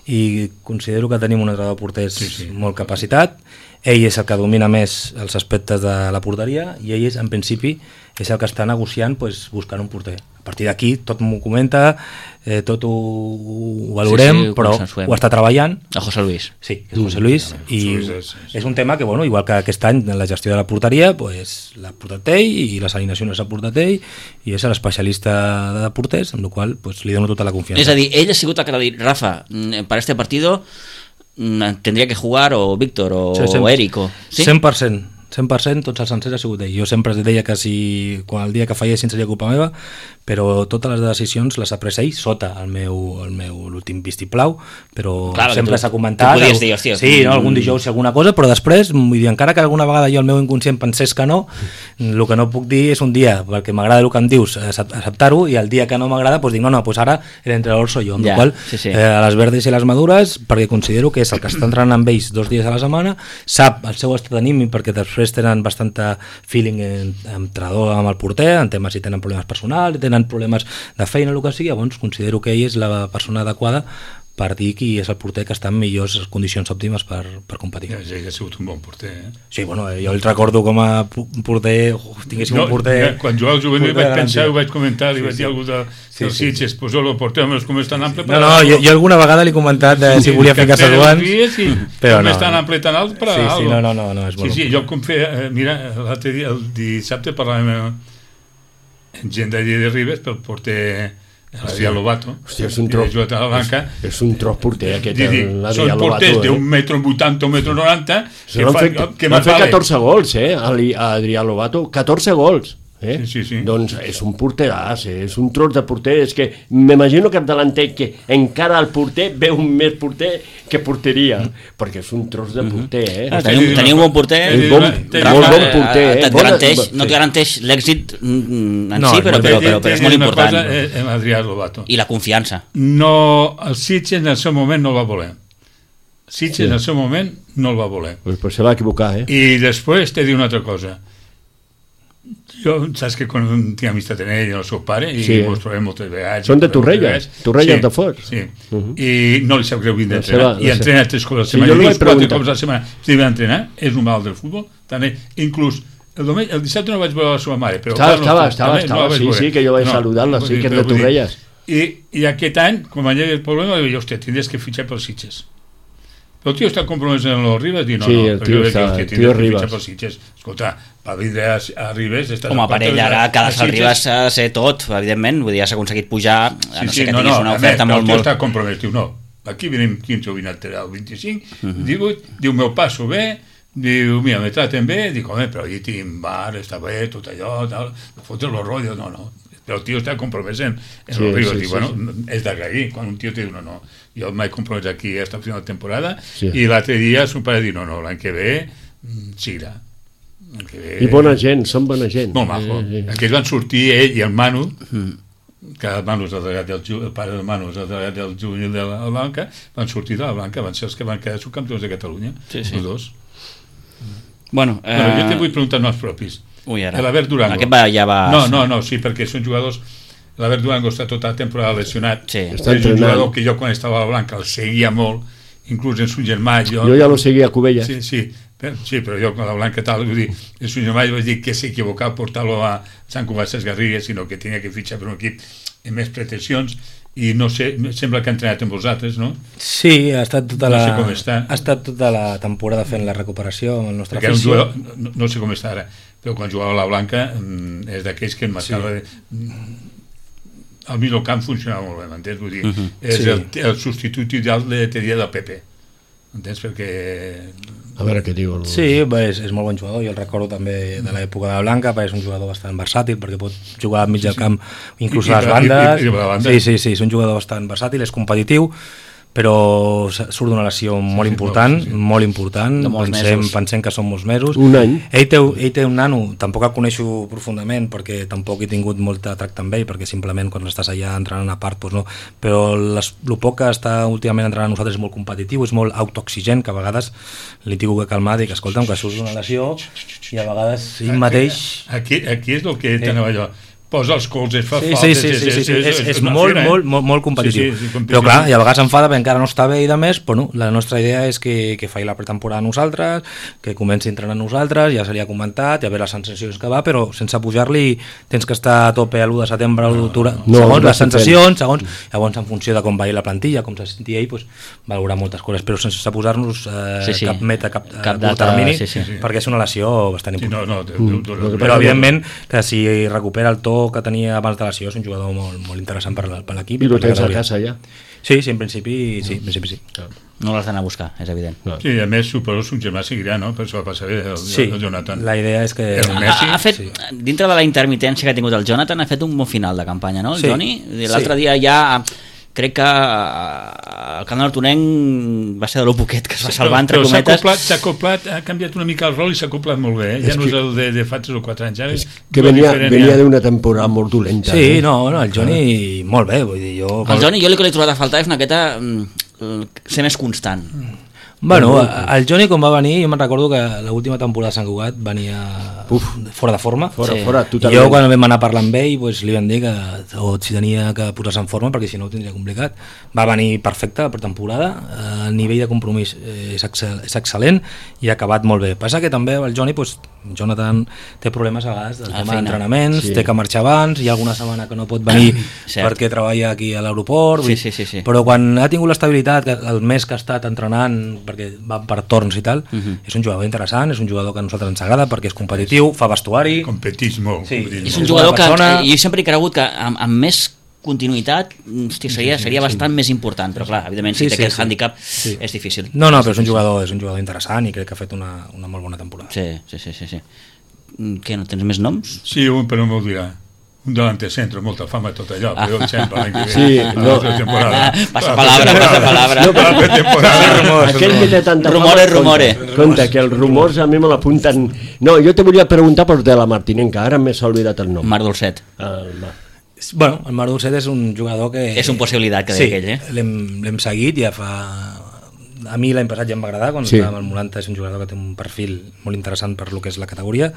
S2: i considero que tenim un entrenador de porters sí, sí. molt capacitat. Ell és el que domina més els aspectes de la porteria i ell és, en principi, és el que està negociant pues, buscant un porter. A partir d'aquí tot m'ho comenta, eh, tot ho, ho valorem, sí, sí, ho però ho està treballant.
S1: A José Luis.
S2: Sí, és José Luis, mm, i sí, sí, sí. és un tema que, bueno, igual que aquest any en la gestió de la porteria, pues, l'ha portat ell i les alineacions l'ha portat ell i és l'especialista de porters, amb la qual pues, li dono tota la confiança.
S1: És a dir, ell ha sigut el que ha dit, Rafa, per este partido tendría que jugar o Víctor o, sí, o Eric o... ¿Sí?
S2: cent per cent cent per cent tots els sencers ha sigut ell. Jo sempre deia que si quan el dia que fallessin seria culpa meva, però totes les decisions les ha pres ell sota el meu, el meu l'últim vistiplau, però clar, sempre s'ha comentat
S1: tu podies dir, hòstia,
S2: sí, no, algun dijous alguna cosa, però després vull dir, encara que alguna vegada jo el meu inconscient pensés que no, el que no puc dir és un dia, perquè m'agrada el que em dius, acceptar-ho, i el dia que no m'agrada doncs dic, no, no, doncs ara l'entrenador soy jo, amb ja, la qual sí, sí. Eh, a les verdes i les madures, perquè considero que és el que està entrenant amb ells dos dies a la setmana, sap el seu estat d'anímic, perquè després tenen bastanta feeling amb entrenador amb el porter, en temes si tenen problemes personals, tenen problemes de feina, el que sigui, llavors considero que ell és la persona adequada per dir qui és el porter que està en millors condicions òptimes per, per competir.
S4: Ja, ja ha sigut un bon porter, eh?
S2: Sí, bueno, jo el recordo com a porter, oh, tinguéssim no, un porter...
S4: Ja, quan jugava al juvenil vaig pensar, ho vaig comentar, li sí, vaig dir sí. algú de, sí, dels sí, Sitges, sí. pues el porter, home, com és tan ample...
S2: No, no, jo, jo alguna vegada li he comentat de, si volia ficar-se duant,
S4: sí, però no. Com és tan ample tan alt per a
S2: sí,
S4: algo.
S2: Sí, no, no, no, no, és
S4: molt sí, sí, jo com feia, mira, l'altre dia, el dissabte parlàvem amb gent d'allí de Ribes pel porter... l'Adrià Lobato.
S3: Hòstia, és un tros, és, és un tros porter aquest, l'Adrià Lobato.
S4: Són porters eh? d'un metro vuitanta o metro noranta
S3: que van fer, que van fer catorze gols, eh, a Adrià Lobato, catorze gols. Eh? Sí, sí, sí. Doncs és un porteràs, eh? És un tros de porter, és que m'imagino que davanter que encara el porter veu un més porter que porteria, mm. perquè és un tros de porter, eh?
S1: Ah, teniu, teniu un bon porter,
S3: un bon, Rafa, molt bon porter, eh?
S1: Et garanteix, no et garanteix l'èxit en no, si, però, però, però, però és molt important.
S4: Cosa, eh, Adrià Lobato.
S1: I la confiança.
S4: No, el Sitges en el seu moment no el va voler. Sitges sí. en el seu moment no el va voler.
S3: Pues, pues se va equivocar, eh?
S4: I després t'he dit una altra cosa. Jo, saps que quan tinc amistat en ell i el seu pare i sí. mos trobem moltes vegades.
S3: Són de Torrelles, Torrelles sí, de Fort.
S4: Sí, uh-huh. i no li sap greu vindre a entrenar. I entrena tres cops a la setmana.
S3: Sí,
S4: I dos, quatre cops a la setmana. Si ve a entrenar, és un mal del futbol. També, inclús, el, domenc, el dissabte no vaig veure la seva mare. Però
S3: estava, estava, estava, estava no sí, sí, que jo vaig no, saludar-la, sí, que és de Torrelles.
S4: I, I aquest any, quan hi havia el problema, jo, hòstia, tindries que fitxar pels Sitges. Però el tio està compromès en los Ribes? Dir, no,
S3: sí,
S4: no,
S3: el tio està, el tio Ribes.
S4: Escolta, per vindre a, a Ribes...
S1: Home, per ell ara cada sal Ribes s'ha de ser tot, evidentment, vull dir, has aconseguit pujar, a
S4: sí,
S1: no
S4: sí,
S1: ser que
S4: no,
S1: tinguis
S4: no,
S1: una oferta
S4: més,
S1: molt, molt...
S4: El tio està compromès, diu, no, aquí venim quinze o vint al vint-i-cinc, uh-huh. divuit, diu, meu passo bé, diu, mira, me traten bé, dic, home, però allí tinc bar, està bé, tot allò, tal, fotre los rollos, no, no. Però el tio està compromès en, en sí, los Ribes, sí, diu, sí, bueno, sí. és d'agrair, quan un tio té no, no, jo m'he compromès aquí a esta final de temporada, sí. i l'altre dia son pare diu, no, no, l'any que ve, siga.
S3: Ve... I bona gent, són bona gent.
S4: Molt maco. Eh, eh. Aquells van sortir, ell i el Manu, mm. que el Manu és el delegat del el pare del Manu és el delegat del juvenil de la Blanca, van sortir de la Blanca, van ser els que van quedar subcampions de Catalunya,
S1: sí, sí.
S4: els dos.
S1: Bueno, eh...
S4: bueno, jo te vull preguntar els propis.
S1: Ui, ara.
S4: L'Albert Durango.
S1: Aquest va, ja va...
S4: No, no, no, sí, perquè són jugadors... l'Albert Durango està tota la temporada lesionat,
S1: Sí.
S4: és
S3: Està
S4: un
S3: entrenant.
S4: jugador que jo quan estava a la Blanca el seguia molt, inclús en su germà jo,
S3: Jo ja lo seguia a Cubelles.
S4: sí, sí, però, sí, però jo con la Blanca tal, vull dir, en su germà jo vaig dir que s'equivocava portar-lo a Sant Cugat Ses Garrigues, sinó que tenia que fitxar per un equip amb més pretensions, i no sé, sembla que ha entrenat amb vosaltres, no?
S2: Sí, ha estat tota
S4: No
S2: la,
S4: sé com està.
S2: ha estat tota la temporada fent la recuperació amb el nostre
S4: Perquè era un
S2: afició.
S4: jugador, no, no sé com està ara, però quan jugava a la Blanca mm, és d'aquells que em marcava sí. El mig del camp funcionava molt bé, m'entens? Vull dir, uh -huh. és
S2: Sí.
S4: el, el substitut ideal de, te diria, del Pepe, m'entens? Perquè
S3: A veure què diu. El...
S2: Sí, bé, és, és molt bon jugador, jo el recordo també de l'època de la Blanca, perquè és un jugador bastant versàtil, perquè pot jugar al mig del camp, inclús
S4: I-
S2: a les
S4: i-
S2: bandes.
S4: i- i a la banda.
S2: Sí, sí, sí, és un jugador bastant versàtil, és competitiu, però surt d'una lesió molt
S4: sí,
S2: important,
S4: molt, sí.
S2: molt important,
S1: De molts
S2: pensem,
S1: mesos.
S2: pensem que són molts mesos.
S3: Un any.
S2: Ell té, ell té un nano, tampoc el coneixo profundament, perquè tampoc he tingut molt de tracte amb ell, perquè simplement quan estàs allà entrenant a part, doncs no. Però les, el poc que està últimament entrenant nosaltres és molt competitiu, és molt autoexigent, que a vegades li tinc que calmar, dic, escolta'm, que surts d'una lesió, i a vegades ell mateix...
S4: aquí, aquí és el que t'anava jo, posa els colzes, fa
S2: Sí,
S4: faltes,
S2: sí, sí, sí, sí, sí, és, és
S4: una
S2: molt,
S4: fera, eh?
S2: molt, molt, molt competitiu.
S4: Sí, sí, sí, competitiu.
S2: Però clar, i a vegades s'enfada perquè encara no està bé i de més, però no, la nostra idea és que, que faci la pretemporada a nosaltres, que comenci a entrenar a nosaltres, ja se li ha comentat, ja ve les sensacions que va, però sense pujar-li tens que estar a tope a l'u de setembre, a l'u d'octubre,
S3: no,
S2: segons
S3: no
S2: les
S3: s'ha fet.
S2: sensacions, segons, llavors en funció de com vagi la plantilla, com se senti ell, doncs, valorar moltes coses, però sense posar-nos eh,
S1: Sí, sí.
S2: cap meta, cap,
S1: Cap
S2: cap
S1: data,
S2: termini,
S1: sí, sí.
S2: perquè és una lesió bastant
S4: Sí,
S2: important.
S4: no, no, de,
S3: Mm.
S4: de, de,
S3: Lo que
S4: de,
S2: Però evidentment que si recupera el to que tenia abans de la lesió és un jugador molt, molt interessant per, la- per l'equip.
S3: I lo
S2: per la
S3: tens a
S2: categoria.
S3: casa ja.
S2: Sí, sí, en principi sí, en principi sí.
S1: No l'has d'anar a buscar, és evident.
S3: No.
S4: Sí, a més, suposo que son germà seguirà, no? Per això va passar bé el,
S2: Sí,
S4: el Jonathan.
S2: la idea és que...
S4: El Messi.
S1: Ha, ha fet,
S2: Sí.
S1: dintre de la intermitència que ha tingut el Jonathan, ha fet un bon final de campanya, no, el
S2: Sí.
S1: Joni? L'altre
S2: Sí.
S1: dia ja crec que eh, el Camp de l'Hortonenc va ser de lo poquet que es va salvar, entre
S4: Però s'ha
S1: cometes.
S4: acoplat, s'ha acoplat, ha canviat una mica el rol i s'ha acoplat molt bé, eh? Ja
S3: És
S4: no
S3: que-
S4: és el de, de fa tres o quatre anys, ara és
S3: Que
S4: molt
S3: venia,
S4: diferent,
S3: venia
S4: ja.
S3: d'una temporada molt dolenta.
S2: Sí,
S3: eh?
S2: no, no, el Joni molt bé, vull dir, jo...
S1: El Joni, jo el que li he trobat a faltar és una miqueta mm, ser més constant.
S2: Bueno, el Joni quan va venir, jo me'n recordo que l'última temporada de Sant Cugat venia
S3: Uf.
S2: fora de forma.
S3: Fora,
S1: Sí.
S3: fora,
S2: I
S3: totalment.
S2: jo quan vam anar a parlar amb ell doncs, li vam dir que o si tenia que posar-se en forma perquè si no ho tindria complicat. Va venir perfecte per temporada, el nivell de compromís eh, és, excel, és excel·lent i ha acabat molt bé. Passa que també el Joni, doncs, Jonathan té problemes a vegades del
S1: A
S2: tema
S1: feina.
S2: d'entrenaments,
S3: Sí.
S2: té que marxar abans, hi ha alguna setmana que no pot venir
S1: Cert.
S2: perquè treballa aquí a l'aeroport,
S1: Sí,
S2: vull-
S1: sí, sí, sí.
S2: però quan ha tingut l'estabilitat, que el mes que ha estat entrenant, perquè va per torns i tal,
S1: Mhm.
S2: és un jugador interessant, és un jugador que a nosaltres ens agrada perquè és competitiu, fa vestuari...
S4: Competís molt.
S2: Sí.
S4: vull dir,
S1: És
S4: no?
S1: un
S2: És
S1: jugador
S2: bona
S1: que,
S2: persona.
S1: que jo sempre he cregut que amb, amb més continuïtat hosti, seria, seria bastant més important, però clar, evidentment si
S2: Sí,
S1: té
S2: sí,
S1: aquest
S2: sí.
S1: hàndicap
S2: Sí.
S1: és difícil.
S2: No, no, però és un jugador, és un jugador interessant i crec que ha fet una, una molt bona temporada.
S1: Sí, sí, sí, sí, sí. Mm, Què, no tens més noms?
S4: Sí, un, però no m'ho dirà. Un delante centro, molta fama tot allò, però jo sempre l'any que ve.
S3: Sí,
S4: a
S3: no.
S4: la temporada.
S1: Passa palabra, passa palabra.
S3: No,
S4: A la temporada.
S3: Aquell que té tanta
S1: Rumore,
S3: fama,
S1: rumore.
S3: Compte, compte, que els rumors a mi me l'apunten... No, jo te volia preguntar per de la Martinenca, ara m'he oblidat el nom.
S1: Marc Dolcet.
S3: El Mar.
S2: Bueno, el Marc Dolcet és un jugador que...
S1: És un possibilitat, que
S2: sí,
S1: deia aquell, eh?
S2: l'hem l'hem seguit, ja fa... A mi l'any passat ja em va agradar, quan
S3: Sí.
S2: sí. estàvem al Molanta, és un jugador que té un perfil molt interessant per lo que és la categoria,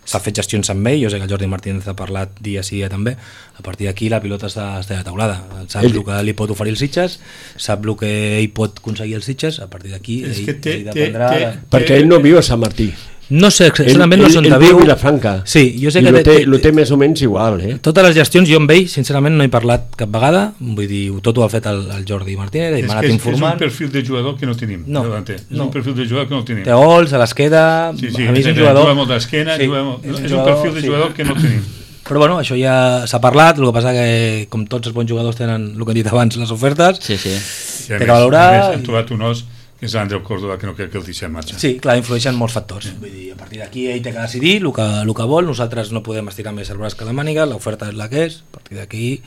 S2: s'ha fet gestions amb ell, jo sé que el Jordi Martínez ha parlat dia sí dia també, a partir d'aquí la pilota està, està de taulada, sap
S3: Ell-
S2: el que li pot oferir els Sitges, sap el que ell pot aconseguir els Sitges, a partir d'aquí
S4: És
S2: ell,
S4: que té-
S2: ell
S4: té-
S2: dependrà...
S4: té-
S2: de-
S3: Perquè ell no viu a Sant Martí.
S2: No sé exactament
S3: ell,
S2: no són
S3: ell
S2: de
S3: viu
S2: viu.
S3: a Vilafranca.
S2: Sí, jo sé
S3: I
S2: que
S3: lo
S2: té-
S3: té,
S2: té-
S3: lo té més o menys igual, eh?
S2: Totes les gestions jo amb ell, sincerament, no he parlat cap vegada, vull dir, tot ho ha fet el, el Jordi Martínez, i
S4: És
S2: m'ha
S4: que
S2: anat
S4: és, és un
S2: informant.
S4: perfil de jugador que no tenim.
S2: No,
S4: Delante. És
S2: no.
S4: un perfil de jugador que no tenim.
S2: Té gols, se les queda...
S4: Sí, sí,
S2: a mi és un
S4: juga
S2: jugador...
S4: molt d'esquena,
S2: Sí,
S4: juga molt-
S2: és un
S4: és un
S2: jugador,
S4: perfil de
S2: sí.
S4: jugador que no tenim.
S2: Però bueno, això ja s'ha parlat, el que passa que com tots els bons jugadors tenen el que he dit abans, les ofertes,
S1: Sí, sí.
S4: I a
S2: Té
S4: més,
S2: que valorar
S4: a més, hem
S2: i-
S4: trobat un os que és l'Andreu Córdoba, que no crec que el deixem marxar.
S2: sí, clar, influeixen molts factors. Vull dir, a partir d'aquí ell té que decidir el que, el que vol, nosaltres no podem estirar més el braç que la màniga, l'oferta és la que és, a partir d'aquí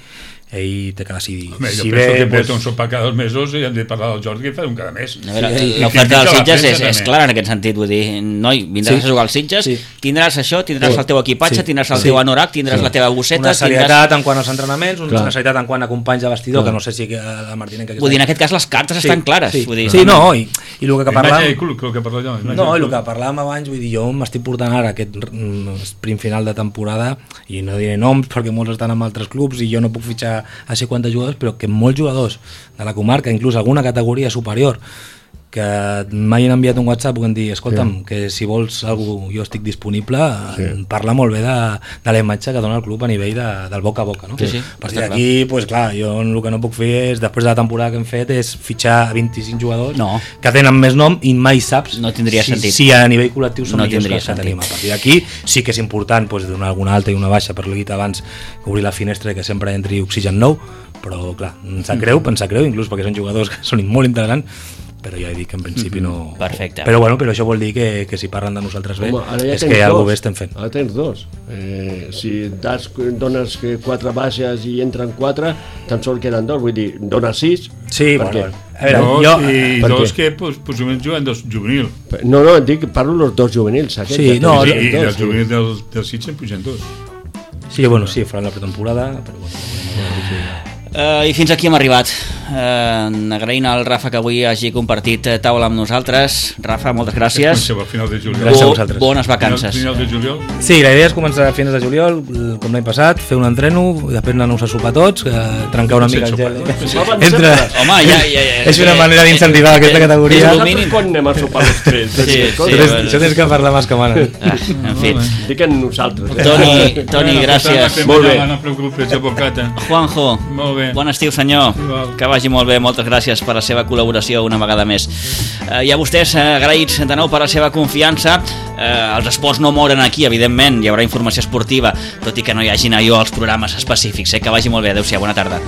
S2: ell té que decidir.
S4: Home, jo
S2: si
S4: penso
S2: bé,
S4: que
S2: pues,
S4: porta un sopar cada dos mesos i hem de parlar del Jordi que fa un cada mes.
S1: A veure,
S2: Sí,
S1: l'oferta dels
S4: i
S1: Sitges
S4: la
S1: és,
S4: premsa
S1: és
S4: també.
S1: clara en aquest sentit, vull dir, noi, vindràs
S2: Sí.
S1: a jugar als Sitges,
S2: Sí.
S1: tindràs això, tindràs
S2: Sí.
S1: el teu equipatge,
S2: Sí.
S1: tindràs el
S2: Sí.
S1: teu anorac, tindràs la teva bosseta,
S2: una serietat
S1: tindràs...
S2: en quant als entrenaments, una
S3: Clar.
S2: serietat en quant a companys de vestidor,
S3: Clar.
S2: que no sé si la Martinenca...
S1: Vull dir, en aquest cas les cartes estan clares.
S2: Sí,
S1: Vull dir,
S2: sí no, i, i el que
S4: Imatge
S2: parlàvem...
S4: i club, el que parlo jo. imatge
S2: No,
S4: i
S2: i el
S4: club.
S2: que parlàvem abans, vull dir, jo m'estic portant ara aquest mm, sprint final de temporada, i no diré noms perquè molts estan en altres clubs i jo no puc fitxar a cinquanta jugadors, però que molts jugadors de la comarca, inclús alguna categoria superior, que mai han enviat un WhatsApp que em dir, escolta'm, sí. que si vols algú jo estic disponible, sí. parla molt bé de, de la imatge que dona el club a nivell de, del boca a boca, no?
S1: Sí, sí,
S2: a partir
S1: està
S2: d'aquí, pues, clar, jo el que no puc fer és, després de la temporada que hem fet, és fitxar vint-i-cinc jugadors
S1: No.
S2: que tenen més nom i mai saps
S1: No tindria
S2: si,
S1: sentit.
S2: si a nivell col·lectiu són
S1: No
S2: millors
S1: tindria
S2: que els que
S1: sentit.
S2: tenim. A partir d'aquí sí que és important pues, donar alguna alta i una baixa, per l'he dit abans, obrir la finestra i que sempre entri oxigen nou, però clar, em sap greu, em sap greu, inclús perquè són jugadors que són molt interessants, però ja he dit que en principi no...
S1: Perfecte.
S2: Però bueno, però això vol dir que, que si parlen de nosaltres bé,
S3: Home, ara ja
S2: és
S3: tens
S2: que
S3: dos.
S2: alguna bé estem fent.
S3: Ara tens dos. Eh, si das, dones que quatre baixes i entren quatre, tan sols queden dos. Vull dir, dones sis.
S2: Sí,
S3: per
S2: bueno,
S3: què?
S2: bueno. A veure,
S4: Dos,
S2: jo...
S4: i
S3: per
S4: dos
S3: què?
S4: que pues, possiblement juguen dos juvenil.
S3: No, no, dic, parlo dels dos juvenils. Aquests,
S2: Sí,
S3: ja
S2: no,
S3: tens
S4: I, i
S3: dos,
S4: dels
S3: sí.
S4: juvenils del, del Sitges en pugen dos.
S2: Sí, bueno, sí, faran la pretemporada, però bueno...
S1: Uh, I fins aquí hem arribat. Uh, agraint al Rafa que avui hagi compartit eh, taula amb nosaltres. Rafa, moltes gràcies.
S4: Comenceu a final de juliol.
S2: Gràcies a
S1: Bo-
S2: vosaltres.
S1: Bones
S4: Final,
S1: vacances.
S4: final de juliol.
S2: Sí, la idea és començar a finals de juliol, com l'any passat, fer un entreno, després anar-nos a sopar tots, que trencar una mica el gel. Entre...
S1: Home, ja, ja, ja.
S2: És una manera d'incentivar aquesta categoria.
S1: És el
S3: Nosaltres
S1: mínim.
S3: quan anem a sopar els tres?
S1: Sí, sí,
S2: Això
S1: sí,
S2: tens,
S1: bueno.
S2: això tens que parlar més que manen.
S1: Ah, en fi.
S3: Dic en nosaltres. Eh?
S1: Toni, Toni, gràcies.
S3: Molt bé.
S4: No preocupes, advocata.
S1: Juanjo,
S4: Molt bé.
S1: bon estiu, senyor.
S4: Igual.
S1: Que vagi molt bé, moltes gràcies per la seva col·laboració una vegada més. Eh, I a vostès, eh, agraïts de nou per la seva confiança. Eh, els esports no moren aquí, evidentment, hi haurà informació esportiva, tot i que no hi hagi allò als programes específics. Eh? Que vagi molt bé, adeu-siau, bona tarda.